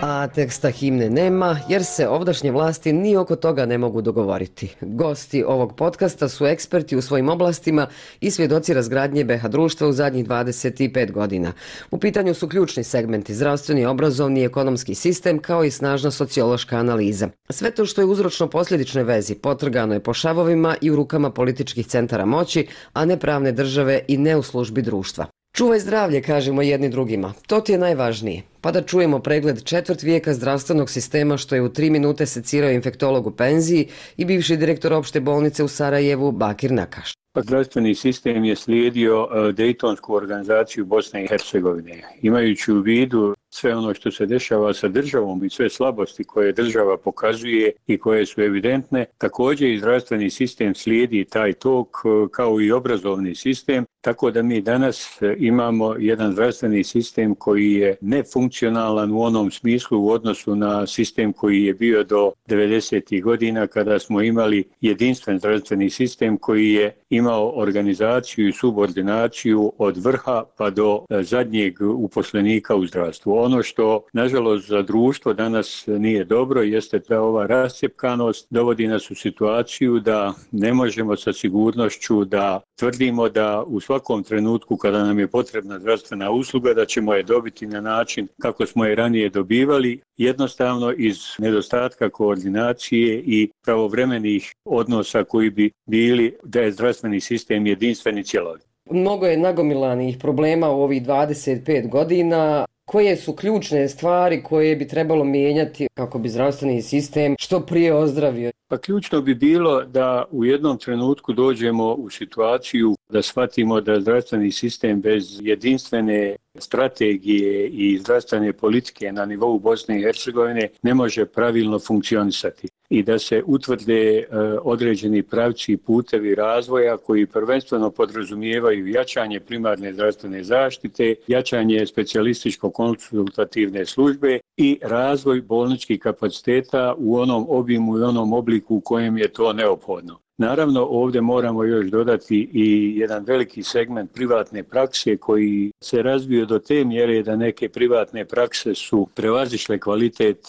A teksta himne nema jer se ovdašnje vlasti ni oko toga ne mogu dogovoriti. Gosti ovog podcasta su eksperti u svojim oblastima i svjedoci razgradnje BiH društva u zadnjih 25 godina. U pitanju su ključni segmenti: zdravstveni, obrazovni i ekonomski sistem, kao i snažna sociološka analiza. Sve to što je uzročno-posljedičnoj vezi potrgano je po šavovima i u rukama političkih centara moći, a ne pravne države i ne u službi društva. Čuvaj zdravlje, kažemo jedni drugima. To ti je najvažnije. Pa da čujemo pregled četvrt vijeka zdravstvenog sistema što je u 3 minute secirao infektolog u penziji i bivši direktor opšte bolnice u Sarajevu Bakir Nakaš. Zdravstveni sistem je slijedio Dejtonsku organizaciju Bosne i Hercegovine. Imajući u vidu sve ono što se dešava sa državom i sve slabosti koje država pokazuje i koje su evidentne, također i zdravstveni sistem slijedi taj tok kao i obrazovni sistem, tako da mi danas imamo jedan zdravstveni sistem koji je nefunkcionalan u onom smislu u odnosu na sistem koji je bio do 90. godina kada smo imali jedinstven zdravstveni sistem koji je imao organizaciju i subordinaciju od vrha pa do zadnjeg uposlenika u zdravstvu. Ono što, nažalost, za društvo danas nije dobro jeste da ova rascjepkanost dovodi nas u situaciju da ne možemo sa sigurnošću da tvrdimo da u svakom trenutku kada nam je potrebna zdravstvena usluga da ćemo je dobiti na način kako smo je ranije dobivali, jednostavno iz nedostatka koordinacije i pravovremenih odnosa koji bi bili da je zdravstveni sistem jedinstven i cjelovit. Mnogo je nagomilanih problema u ovih 25 godina. Koje su ključne stvari koje bi trebalo mijenjati kako bi zdravstveni sistem što prije ozdravio? Pa ključno bi bilo da u jednom trenutku dođemo u situaciju da shvatimo da zdravstveni sistem bez jedinstvene strategije i zdravstvene politike na nivou Bosne i Hercegovine ne može pravilno funkcionisati i da se utvrde određeni pravci i putevi razvoja koji prvenstveno podrazumijevaju jačanje primarne zdravstvene zaštite, jačanje specijalističko-konsultativne službe i razvoj bolničkih kapaciteta u onom obimu i onom obliku u kojem je to neophodno. Naravno, ovdje moramo još dodati i jedan veliki segment privatne prakse koji se razvio do te mjere da neke privatne prakse su prevazišle kvalitet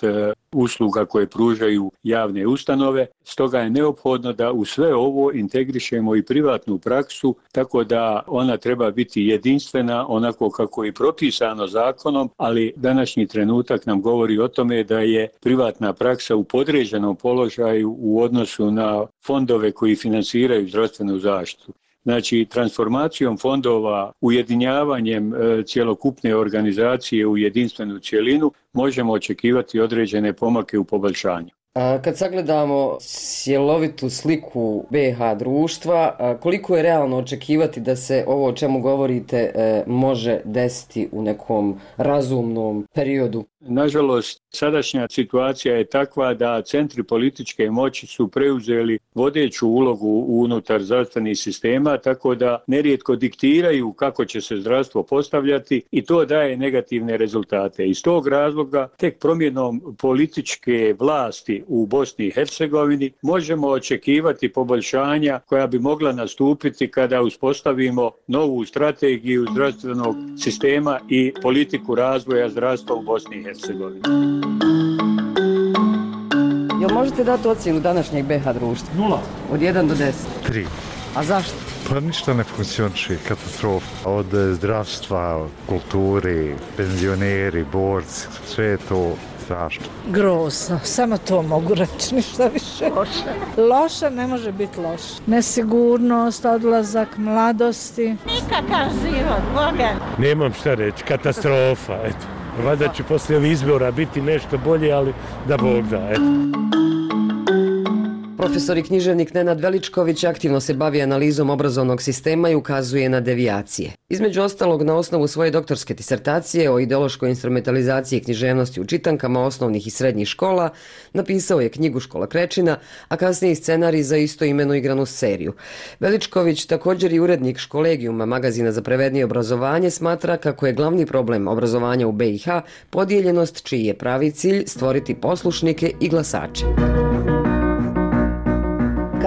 usluga koje pružaju javne ustanove. Stoga je neophodno da u sve ovo integrišemo i privatnu praksu tako da ona treba biti jedinstvena onako kako je propisano zakonom, ali današnji trenutak nam govori o tome da je privatna praksa u podređenom položaju u odnosu na fondove koji finansiraju zdravstvenu zaštitu. Znači, transformacijom fondova, ujedinjavanjem cjelokupne organizacije u jedinstvenu cjelinu možemo očekivati određene pomake u poboljšanju. Kad sagledamo cjelovitu sliku BiH društva, koliko je realno očekivati da se ovo o čemu govorite može desiti u nekom razumnom periodu? Nažalost, sadašnja situacija je takva da centri političke moći su preuzeli vodeću ulogu unutar zdravstvenih sistema, tako da nerijetko diktiraju kako će se zdravstvo postavljati i to daje negativne rezultate. Iz tog razloga tek promjenom političke vlasti u Bosni i Hercegovini možemo očekivati poboljšanja koja bi mogla nastupiti kada uspostavimo novu strategiju zdravstvenog sistema i politiku razvoja zdravstva u Bosni i Hercegovini. Jel možete dati ocjenu današnjeg BiH društva? 0. Od 1 do 10? 3. A zašto? Pa ništa ne funkcioniše, katastrofa. Od zdravstva, kulturi, penzioneri, borci, sve je to strašno. Grozno, samo to mogu reći, ništa više. Loša ne može biti loša. Nesigurnost, odlazak mladosti. Nikakav život, Boga. Nemam šta reći, katastrofa, eto. Valjda će poslije ovih izbora biti nešto bolje, ali da Bog da, eto. Profesor i književnik Nenad Veličković aktivno se bavi analizom obrazovnog sistema i ukazuje na devijacije. Između ostalog, na osnovu svoje doktorske disertacije o ideološkoj instrumentalizaciji književnosti u čitankama osnovnih i srednjih škola napisao je knjigu Škola Krečina, a kasnije i scenarij za istoimenu igranu seriju. Veličković, također i urednik Školegijuma, magazina za prevednije obrazovanje, smatra kako je glavni problem obrazovanja u BiH podijeljenost čiji je pravi cilj stvoriti poslušnike i glasače.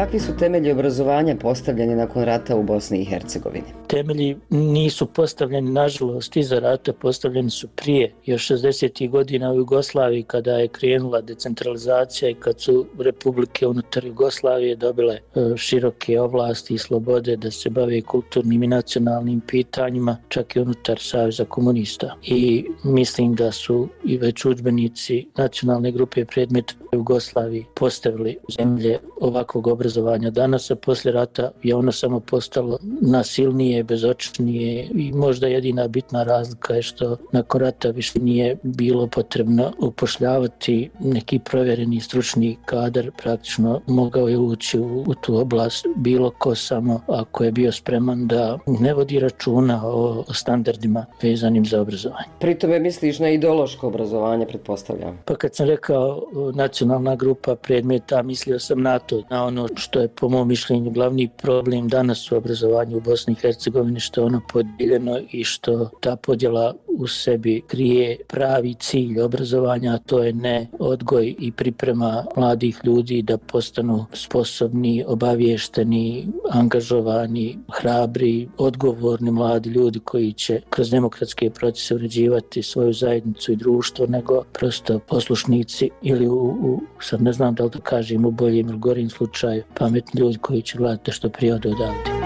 kakvi su temelji obrazovanja postavljeni nakon rata u Bosni i Hercegovini? Temelji nisu postavljeni, nažalost, iza rata, postavljeni su prije, još 60. godina u Jugoslaviji, kada je krenula decentralizacija i kad su republike unutar Jugoslavije dobile široke ovlasti i slobode da se bave kulturnim i nacionalnim pitanjima, čak i unutar Saveza komunista. I mislim da su i već udžbenici nacionalne grupe predmeta u Jugoslaviji postavili zemlje ovakvog obrazovanja. Danas, a poslije rata, je ono samo postalo nasilnije, bezočnije i možda jedina bitna razlika je što nakon rata više nije bilo potrebno upošljavati neki provjereni stručni kadar, praktično mogao je ući u tu oblast bilo ko, samo ako je bio spreman da ne vodi računa o standardima vezanim za obrazovanje. Pri tome misliš na ideološko obrazovanje, pretpostavljam? Pa kad sam rekao nacionalna grupa predmeta, mislio sam na to, na ono što je po mom mišljenju glavni problem danas u obrazovanju u Bosni i Hercegovini, što je ono podijeljeno i što ta podjela u sebi krije pravi cilj obrazovanja, a to je ne odgoj i priprema mladih ljudi da postanu sposobni, obavješteni, angažovani, hrabri, odgovorni mladi ljudi koji će kroz demokratske procese uređivati svoju zajednicu i društvo, nego prosto poslušnici ili sad ne znam da li to kažem u boljem ili gorim slučaju, pametni ljudi koji će gledati što prije odavde.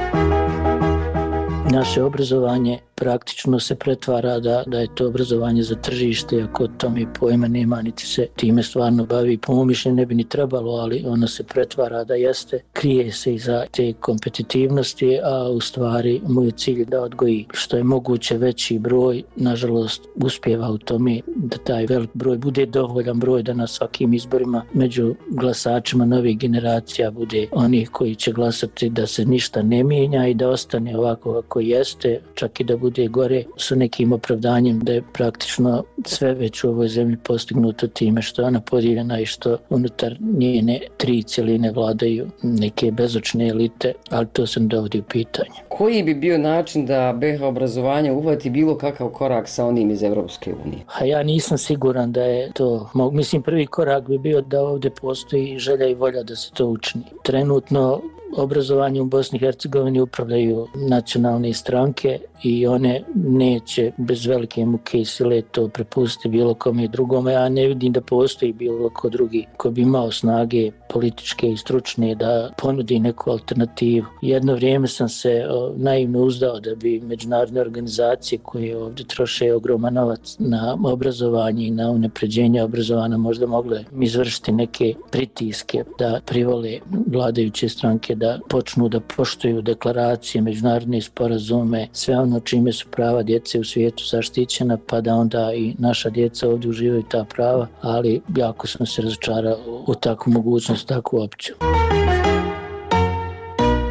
Naše obrazovanje praktično se pretvara da je to obrazovanje za tržište, ako tome pojma nema, niti se time stvarno bavi. Po mom mišljenju ne bi ni trebalo, ali ono se pretvara da jeste, krije se iza te kompetitivnosti, a u stvari moj cilj da odgoji što je moguće veći broj. Nažalost, uspijeva u tome da taj velik broj bude dovoljan broj da na svakim izborima među glasačima novih generacija bude onih koji će glasati da se ništa ne mijenja i da ostane ovako kako jeste, čak i da bude gore, sa nekim opravdanjem da je praktično sve već u ovoj zemlji postignuto time što je ona podijeljena i što unutar njene 3 cjeline vladaju neke bezočne elite, ali to se ne dovodi u pitanje. Koji bi bio način da BiH obrazovanje uhvati bilo kakav korak sa onim iz Evropske unije? A ja nisam siguran da je to. Mislim, prvi korak bi bio da ovdje postoji želja i volja da se to učini. Trenutno obrazovanje u Bosni i Hercegovini upravljaju nacionalne stranke i one neće bez velike muke i sile to prepustiti bilo kome drugome. Ja ne vidim da postoji bilo ko drugi ko bi imao snage političke i stručne da ponudi neku alternativu. Jedno vrijeme sam se naivno uzdao da bi međunarodne organizacije koje ovdje troše ogroman novac na obrazovanje i na unapređenje obrazovanja možda mogle izvršiti neke pritiske da privole vladajuće stranke da počnu da poštuju deklaracije, međunarodne sporazume, sve ono čime su prava djece u svijetu zaštićena, pa da onda i naša djeca ovdje uživaju ta prava, ali jako sam se razočarao u takvu mogućnost, takvu opciju.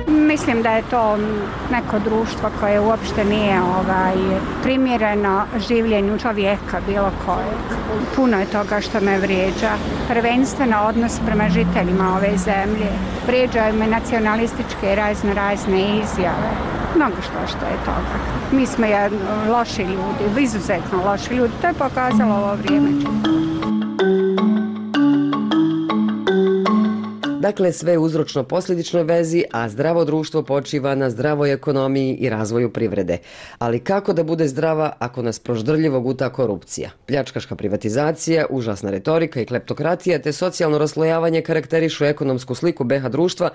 Mislim da je to neko društvo koje uopšte nije primjereno življenju čovjeka bilo kojeg. Puno je toga što me vrijeđa. Prvenstveno odnos prema žiteljima ove zemlje. Vrijeđaju me nacionalističke razne izjave. Mnogo što je toga. Mi smo loši ljudi, izuzetno loši ljudi. To je pokazalo ovo vrijeme čitavo. Dakle, sve uzročno posljedičnoj vezi, a zdravo društvo počiva na zdravoj ekonomiji i razvoju privrede. Ali kako da bude zdrava ako nas proždrljivo guta korupcija? Pljačkaška privatizacija, užasna retorika i kleptokratija te socijalno raslojavanje karakterišu ekonomsku sliku BiH društva,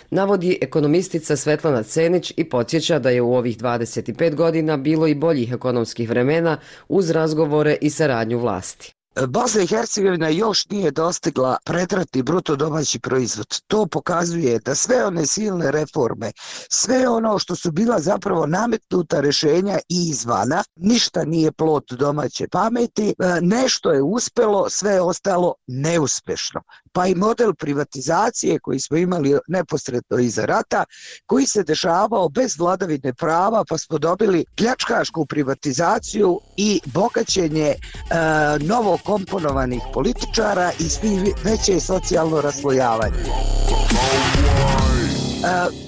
navodi ekonomistica Svetlana Cenić i podsjeća da je u ovih 25 godina bilo i boljih ekonomskih vremena uz razgovore i saradnju vlasti. Bosna i Hercegovina još nije dostigla predratni bruto domaći proizvod. To pokazuje da sve one silne reforme, sve ono što su bila zapravo nametnuta rješenja i izvana, ništa nije plod domaće pameti, nešto je uspjelo, sve je ostalo neuspješno. Pa i model privatizacije koji smo imali neposredno iza rata, koji se dešavao bez vladavine prava, pa smo dobili pljačkašku privatizaciju i bogaćenje novo komponovanih političara i svi veće socijalno raslojavanje.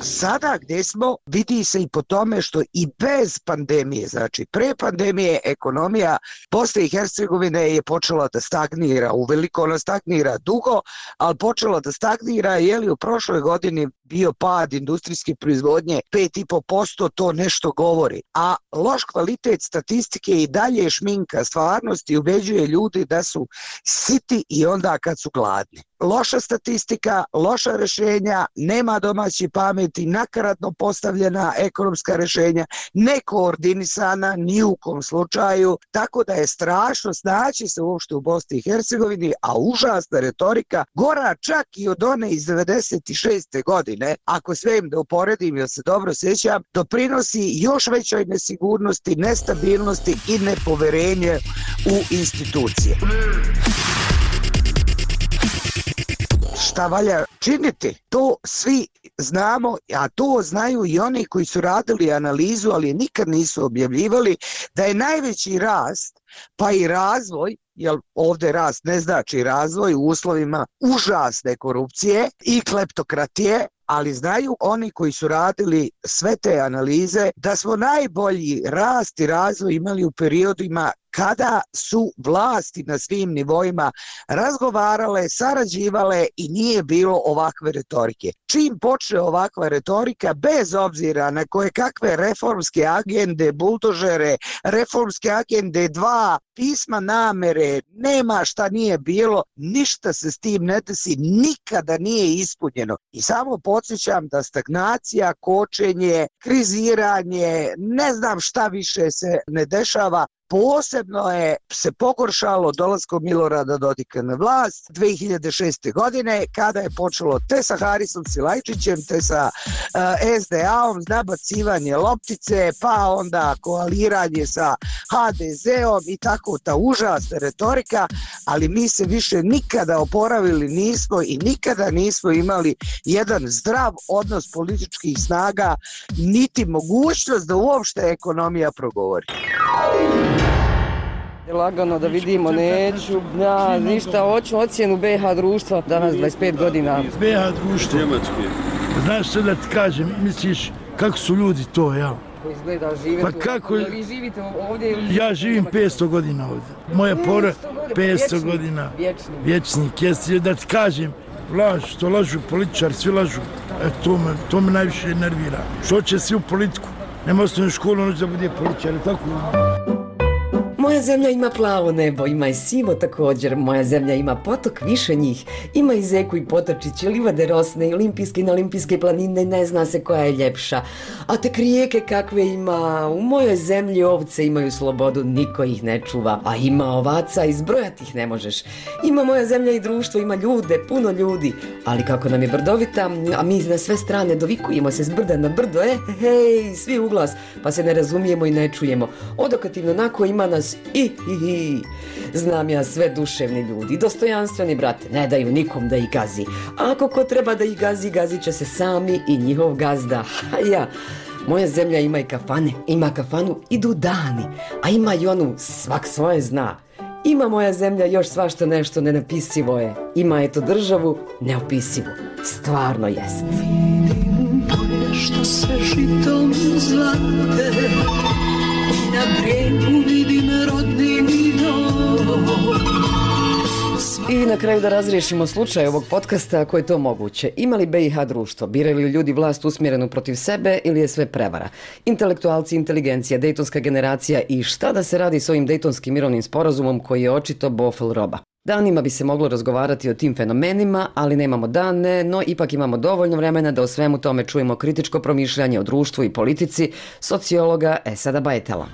Sada gdje smo vidi se i po tome što i bez pandemije, znači pre pandemije ekonomija Bosne i Hercegovine je počela da stagnira, uveliko ona stagnira dugo, ali počela da stagnira u prošloj godini bio pad industrijske proizvodnje 5,5%, to nešto govori. A loš kvalitet statistike i dalje šminka stvarnosti, ubeđuje ljudi da su siti i onda kad su gladni. Loša statistika, loša rješenja, nema domaće pameti, nakaradno postavljena ekonomska rješenja, nekoordinisana ni u kom slučaju, tako da je strašno snaći se uopšte u Bosni i Hercegovini, a užasna retorika, gora čak i od one iz 96. godine, ako sve im da uporedim, jer se dobro sjećam, doprinosi još većoj nesigurnosti, nestabilnosti i nepoverenje u institucije. Šta valja činiti? To svi znamo, a to znaju i oni koji su radili analizu, ali nikad nisu objavljivali, da je najveći rast, pa i razvoj, jer ovdje rast ne znači razvoj u uslovima užasne korupcije i kleptokratije, ali znaju oni koji su radili sve te analize da smo najbolji rast i razvoj imali u periodima kada su vlasti na svim nivoima razgovarale, sarađivale i nije bilo ovakve retorike. Čim počne ovakva retorika, bez obzira na koje kakve reformske agende, buldožere, reformske agende 2, pisma namere, nema šta nije bilo, ništa se s tim ne desi, nikada nije ispunjeno. I samo podsjećam da stagnacija, kočenje, kriziranje, ne znam šta više se ne dešava. Posebno je se pogoršalo dolaskom Milorada Dodika na vlast 2006. godine, kada je počelo te sa Harisom Silajčićem, te sa SDA-om, nabacivanje loptice, pa onda koaliranje sa HDZ-om i tako ta užasna retorika, ali mi se više nikada oporavili nismo i nikada nismo imali jedan zdrav odnos političkih snaga, niti mogućnost da uopšte ekonomija progovori. Lagano da vidimo, neću, ništa, hoću ocjenu BiH društva, danas 25 godina. BiH društvo, znaš što da ti kažem, misliš kako su ljudi to, ja? Izgleda, živite pa kako, vi živite ovdje ili... Ja živim 500 godina ovdje, moja pora 500 godina, vječnik, jesi da ti kažem, što lažu političari, svi lažu, to me najviše nervira. Što će svi u politiku, nema osnovnu školu, noć da bude političar, tako? Moja zemlja ima plavo nebo, ima i sivo također. Moja zemlja ima potok, više njih. Ima i zeku i potočiće, livade rosne i olimpijske i neolimpijske planine, ne zna se koja je ljepša. A tek rijeke kakve ima. U mojoj zemlji ovce imaju slobodu, niko ih ne čuva. A ima ovaca, izbrojati ih ne možeš. Ima moja zemlja i društvo, ima ljude, puno ljudi. Ali kako nam je brdovita, a mi na sve strane dovikujemo se s brda na brdo, hej, svi u glas, pa se ne razumijemo i ne čujemo. Odokativno onako ima nas Znam ja sve duševni ljudi, dostojanstveni brate, ne daju nikom da ih gazi. A ako ko treba da ih gazi, gazit će se sami i njihov gazda. Moja zemlja ima i kafane, ima kafanu, idu dani, a ima i onu svak svoje zna. Ima moja zemlja još svašta nešto nenapisivo je. Ima eto državu neopisivu. Stvarno jest. Vidim polje što se žitom zlate i na brijegu vidim rodni dom. I na kraju da razriješimo slučaj ovog podcasta ako je to moguće. Ima li BiH društvo? Biraju li ljudi vlast usmjerenu protiv sebe ili je sve prevara? Intelektualci, inteligencija, dejtonska generacija i šta da se radi s ovim dejtonskim mirovnim sporazumom koji je očito bofel roba? Danima bi se moglo razgovarati o tim fenomenima, ali nemamo dane, no ipak imamo dovoljno vremena da o svemu tome čujemo kritičko promišljanje o društvu i politici sociologa Esada Bajetela.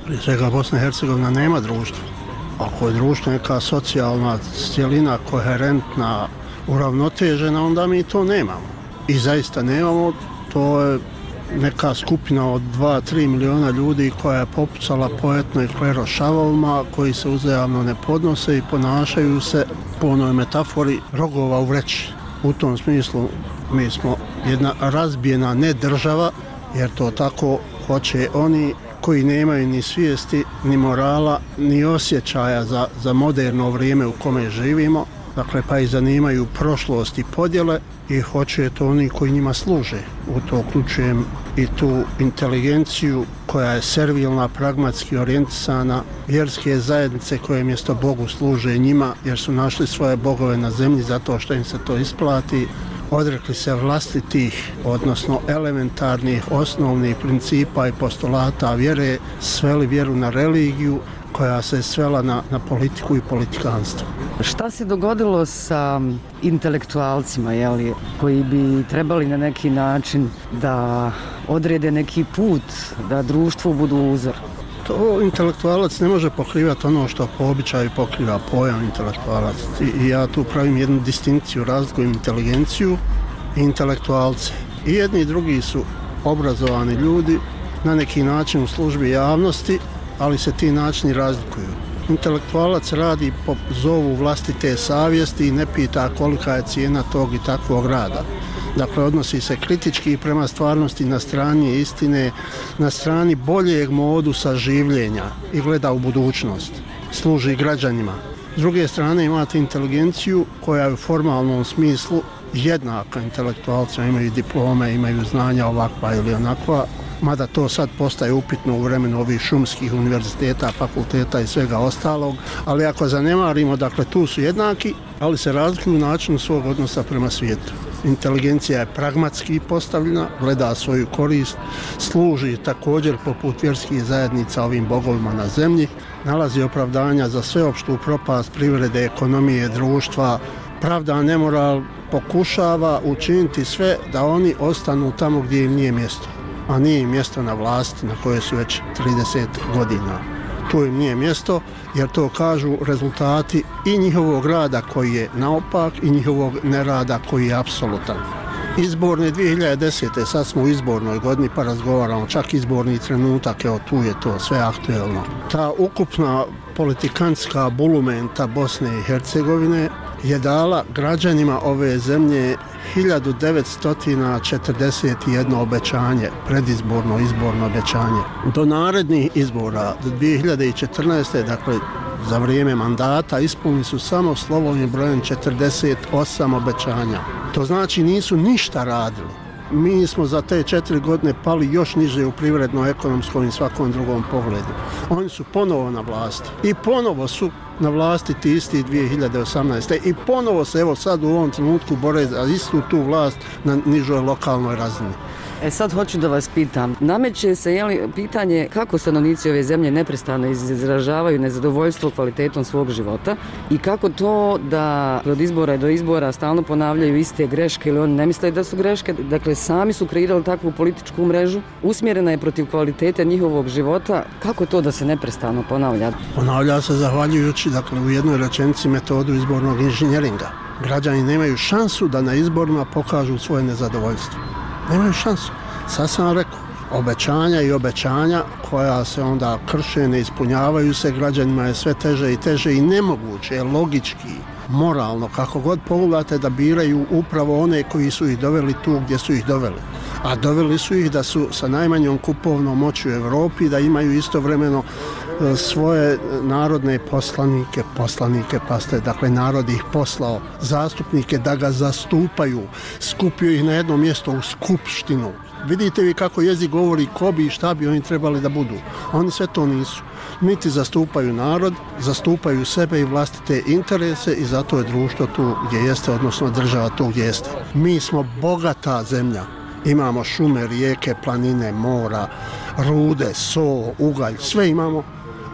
Prije svega Bosna i Hercegovina nema društva. Ako je društvo neka socijalna cjelina, koherentna, uravnotežena, onda mi to nemamo. I zaista nemamo, to je neka skupina od 2-3 miliona ljudi koja je popucala po etno i klerošavovima, koji se uzajamno ne podnose i ponašaju se po onoj metafori rogova u vreći. U tom smislu mi smo jedna razbijena ne država, jer to tako hoće oni koji nemaju ni svijesti, ni morala, ni osjećaja za moderno vrijeme u kome živimo, dakle pa i zanimaju prošlost i podjele i hoće to oni koji njima služe. U to uključujem i tu inteligenciju koja je servilna, pragmatski orijentisana, vjerske zajednice koje mjesto Bogu služe njima jer su našli svoje bogove na zemlji zato što im se to isplati. odrekli se vlastitih, odnosno elementarnih, osnovnih principa i postulata vjere, sveli vjeru na religiju koja se svela na politiku i politikanstvo. Šta se dogodilo sa intelektualcima, koji bi trebali na neki način da odrede neki put, da društvu budu uzor? To intelektualac ne može pokrivati ono što po običaju pokriva pojam intelektualac. I ja tu pravim jednu distinkciju, razlikujem inteligenciju i intelektualce. I jedni i drugi su obrazovani ljudi, na neki način u službi javnosti, ali se ti načini razlikuju. Intelektualac radi po zovu vlastite savjesti i ne pita kolika je cijena tog i takvog rada. Dakle, odnosi se kritički prema stvarnosti na strani istine, na strani boljeg modusa življenja i gleda u budućnost. Služi građanima. S druge strane imate inteligenciju koja je u formalnom smislu jednaka intelektualcima, imaju diplome, imaju znanja ovakva ili onakva, mada to sad postaje upitno u vremenu ovih šumskih univerziteta, fakulteta i svega ostalog, ali ako zanemarimo, dakle tu su jednaki, ali se razlikuju u načinu svog odnosa prema svijetu. Inteligencija je pragmatski postavljena, gleda svoju korist, služi također poput vjerskih zajednica ovim bogovima na zemlji, nalazi opravdanja za sveopštu propast privrede, ekonomije, društva, pravda, nemoral, pokušava učiniti sve da oni ostanu tamo gdje im nije mjesto, a nije im mjesto na vlasti na kojoj su već 30 godina. Tu im nije mjesto jer to kažu rezultati i njihovog rada koji je naopak i njihovog nerada koji je apsolutan. Izborne 2010. sad smo u izbornoj godini pa razgovaramo, čak izborni trenutak, evo tu je to sve aktuelno. Ta ukupna politikantska bulumenta Bosne i Hercegovine je dala građanima ove zemlje 1941 obećanje, predizborno, izborno obećanje. Do narednih izbora, do 2014. dakle za vrijeme mandata, ispunili su samo slovom i brojem 48 obećanja. To znači nisu ništa radili. Mi smo za te 4 godine pali još niže u privredno, ekonomskom i svakom drugom pogledu. Oni su ponovo na vlasti i ponovo su na vlasti ti isti 2018. I ponovo se evo sad u ovom trenutku bore za istu tu vlast na nižoj lokalnoj razini. Sad hoću da vas pitam, nameće se pitanje kako stanovnici ove zemlje neprestano izražavaju nezadovoljstvo kvalitetom svog života i kako to da od izbora do izbora stalno ponavljaju iste greške ili oni ne misle da su greške, dakle sami su kreirali takvu političku mrežu, usmjerena je protiv kvalitete njihovog života, kako to da se neprestano ponavlja? Ponavlja se zahvaljujući, dakle, u jednoj rečenici metodu izbornog inženjeringa. Građani nemaju šansu da na izborima pokažu svoje nezadovoljstvo. Nemaju šansu. Sad sam rekao, obećanja i obećanja koja se onda krše, ne ispunjavaju se, građanima je sve teže i teže i nemoguće je logički, moralno, kako god pogledate da biraju upravo one koji su ih doveli tu gdje su ih doveli. A doveli su ih da su sa najmanjom kupovnom moći u Europi, da imaju istovremeno svoje narodne poslanike, dakle narod ih poslao, zastupnike da ga zastupaju, skupio ih na jedno mjesto u skupštinu. Vidite vi kako jezik govori ko bi i šta bi oni trebali da budu. Oni sve to nisu. Niti zastupaju narod, zastupaju sebe i vlastite interese i zato je društvo tu gdje jeste, odnosno država tu gdje jeste. Mi smo bogata zemlja. Imamo šume, rijeke, planine, mora, rude, so, ugalj, sve imamo,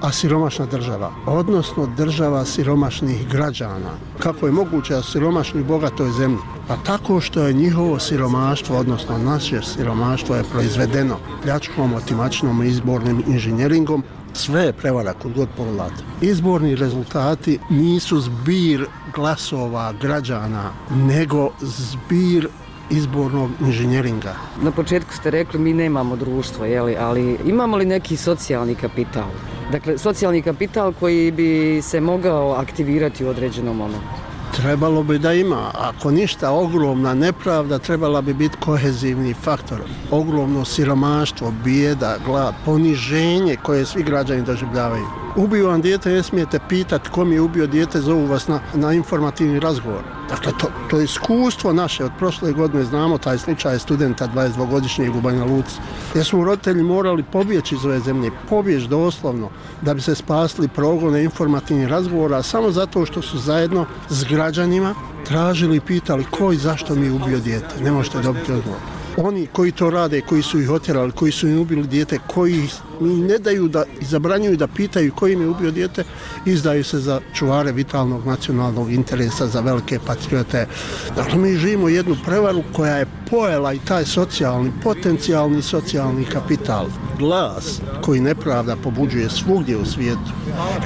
a siromašna država, odnosno država siromašnih građana. Kako je moguće da siromašni u bogatoj zemlji? Pa tako što je njihovo siromaštvo, odnosno naše siromaštvo je proizvedeno pljačkom, otimačinom i izbornim inženjeringom. Sve je prevara kod god pogledate. Izborni rezultati nisu zbir glasova građana, nego zbir izbornog inženjeringa. Na početku ste rekli mi nemamo društvo, ali imamo li neki socijalni kapital? Dakle, socijalni kapital koji bi se mogao aktivirati u određenom momentu. Trebalo bi da ima. Ako ništa, ogromna nepravda trebala bi biti kohezivni faktor. Ogromno siromaštvo, bijeda, glad, poniženje koje svi građani doživljavaju. ubio vam dijete, ne smijete pitati kom je ubio dijete, zovu vas na informativni razgovor. Dakle, to iskustvo naše od prošle godine, znamo taj slučaj studenta 22-godišnjeg u Banja Luci, jer smo roditelji morali pobjeći iz ove zemlje, pobjeći doslovno, da bi se spasili progone informativnih razgovora, samo zato što su zajedno s građanima tražili i pitali ko i zašto mi je ubio dijete. Ne možete dobiti odgovor. Oni koji to rade, koji su ih otjerali, koji su im ubili dijete, koji ne daju da i zabranjuju da pitaju koji im je ubio dijete, izdaju se za čuvare vitalnog nacionalnog interesa, za velike patriote. Dakle, mi živimo jednu prevaru koja je pojela i taj socijalni, potencijalni socijalni kapital. Glas koji nepravda pobuđuje svugdje u svijetu,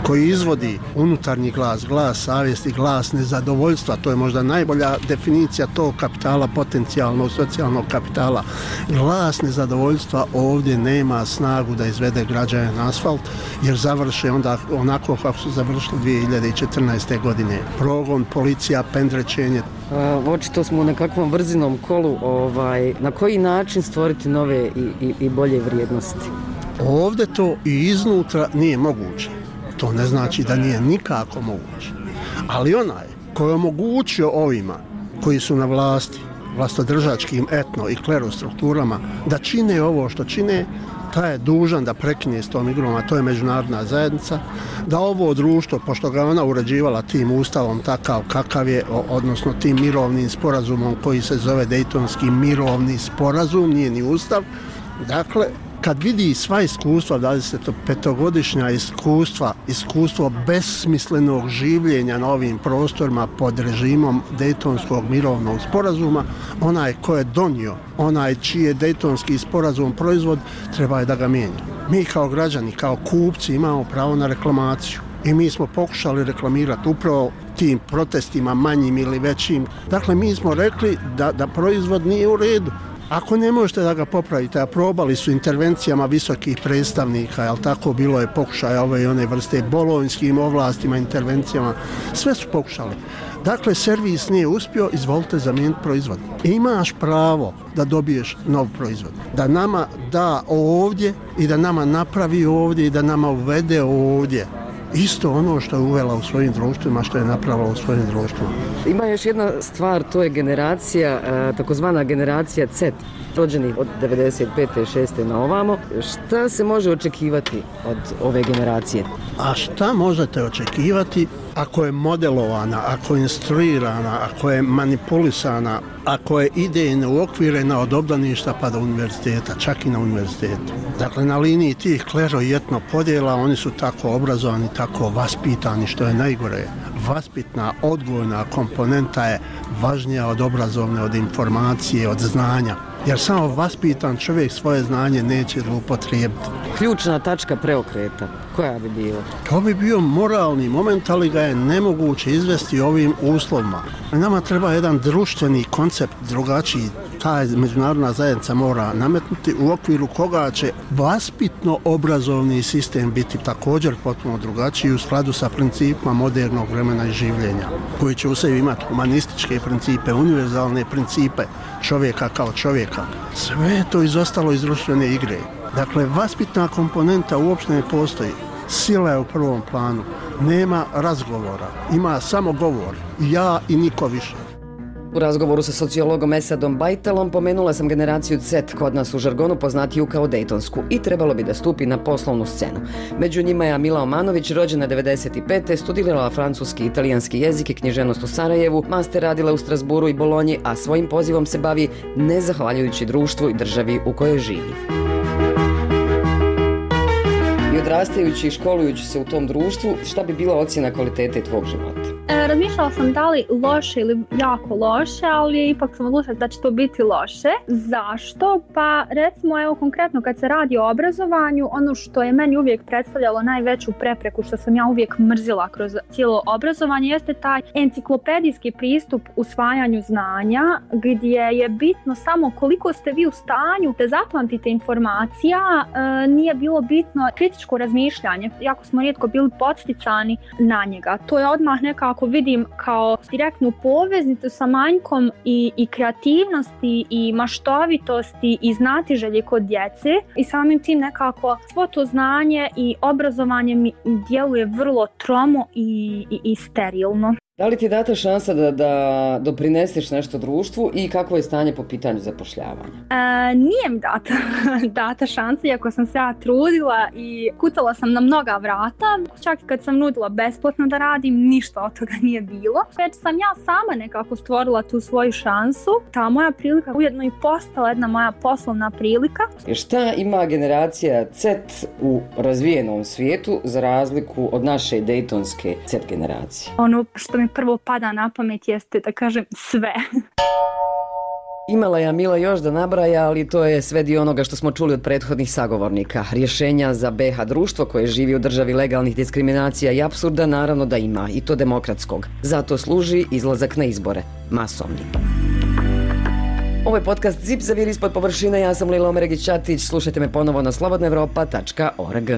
koji izvodi unutarnji glas, glas savjesti, glas nezadovoljstva, to je možda najbolja definicija tog kapitala, potencijalnog socijalnog kapitala. Glas nezadovoljstva ovdje nema snagu da izvede građane na asfalt, jer završe onda onako kako su završili 2014. godine. Progon, policija, pendrečenje. Očito smo u nekakvom vrzinom kolu. Na koji način stvoriti nove i bolje vrijednosti? Ovdje to i iznutra nije moguće. To ne znači da nije nikako moguće. Ali onaj koji je omogućio ovima koji su na vlasti, vlastodržačkim etno i klerostrukturama, da čine ovo što čine, taj je dužan da prekine s tom igrom, a to je međunarodna zajednica, da ovo društvo, pošto ga ona uređivala tim ustavom takav kakav je, odnosno tim mirovnim sporazumom koji se zove Dejtonski mirovni sporazum, nije ni ustav, dakle, kad vidi sva iskustva, 25-godišnja iskustvo besmislenog življenja na ovim prostorima pod režimom Dejtonskog mirovnog sporazuma, onaj ko je donio, onaj čiji je Dejtonski sporazum proizvod, treba je da ga mijenja. Mi kao građani, kao kupci imamo pravo na reklamaciju i mi smo pokušali reklamirati upravo tim protestima manjim ili većim. Dakle, mi smo rekli da proizvod nije u redu. Ako ne možete da ga popravite, a probali su intervencijama visokih predstavnika, jel tako, bilo je pokušaja ove i one vrste, bolonjskim ovlastima, intervencijama, sve su pokušali. Dakle, servis nije uspio, izvolite zamijeniti proizvod. Imaš pravo da dobiješ nov proizvod, da nama da ovdje i da nama napravi ovdje i da nama uvede ovdje. Isto ono što je uvela u svojim društvima, što je napravila u svojim društvima. Ima još jedna stvar, to je generacija, takozvana generacija Z, rođenih od 95. 6. na ovamo. Šta se može očekivati od ove generacije? A šta možete očekivati ako je modelovana, ako je instruirana, ako je manipulisana, ako je idejno uokvirena od obdaništa pa do univerziteta, čak i na univerzitetu. Dakle, na liniji tih klero i etno podjela oni su tako obrazovani, tako vaspitani, što je najgore. Vaspitna, odgojna komponenta je važnija od obrazovne, od informacije, od znanja. Jer samo vaspitan čovjek svoje znanje neće zloupotrijebiti. Ključna tačka preokreta, koja bi bila? To bi bio moralni moment, ali ga je nemoguće izvesti ovim uslovima. Nama treba jedan društveni koncept drugačiji. Ta međunarodna zajednica mora nametnuti u okviru koga će vaspitno obrazovni sistem biti također potpuno drugačiji u skladu sa principima modernog vremena i življenja, koji će u sebi imati humanističke principe, univerzalne principe čovjeka kao čovjeka. Sve je to izostalo iz društvene igre. Dakle, vaspitna komponenta uopšte ne postoji. Sila je u prvom planu. Nema razgovora. Ima samo govor. Ja i niko više. U razgovoru sa sociologom Esadom Bajtalom pomenula sam generaciju Z, kod nas u žargonu poznatiju kao Dejtonsku, i trebalo bi da stupi na poslovnu scenu. Među njima je Amila Omanović, rođena 95. studirala francuski i italijanski jezik i književnost u Sarajevu, master radila u Strasburu i Bolonji, a svojim pozivom se bavi nezahvaljujući društvu i državi u kojoj živi. I odrastajući i školujući se u tom društvu, šta bi bila ocjena kvalitete tvog života? Razmišljala sam da li loše ili jako loše, ali ipak sam odlučila da će to biti loše. Zašto? Pa recimo, evo konkretno kad se radi o obrazovanju, ono što je meni uvijek predstavljalo najveću prepreku, što sam ja uvijek mrzila kroz cijelo obrazovanje, jeste taj enciklopedijski pristup usvajanju znanja, gdje je bitno samo koliko ste vi u stanju da zapamtite informacija, nije bilo bitno kritičko razmišljanje. Jako smo rijetko bili podsticani na njega. To je odmah nekako vidim kao direktnu poveznicu sa manjkom i kreativnosti i maštovitosti i znatiželje kod djece i samim tim nekako svo to znanje i obrazovanje mi djeluje vrlo tromo i sterilno. Da li ti je data šansa da doprineseš nešto društvu i kakvo je stanje po pitanju zapošljavanja? Nije mi data šansa, iako sam se ja trudila i kucala sam na mnoga vrata. Čak i kad sam nudila besplatno da radim, ništa od toga nije bilo. Već sam ja sama nekako stvorila tu svoju šansu. Ta moja prilika ujedno i postala jedna moja poslovna prilika. Šta ima generacija Z u razvijenom svijetu za razliku od naše dejtonske Z generacije? Ono što mi prvo pada na pamet jeste da kažem sve. Imala je Mila još da nabraja, ali to je sve dio onoga što smo čuli od prethodnih sagovornika. Rješenja za BiH društvo koje živi u državi legalnih diskriminacija i apsurda naravno da ima, i to demokratskog. Zato služi izlazak na izbore, masovni. Ovo je podcast Zip zaviri ispod površine, ja sam Lila Omeregić-Ćatić, slušajte me ponovo na slobodnaevropa.org.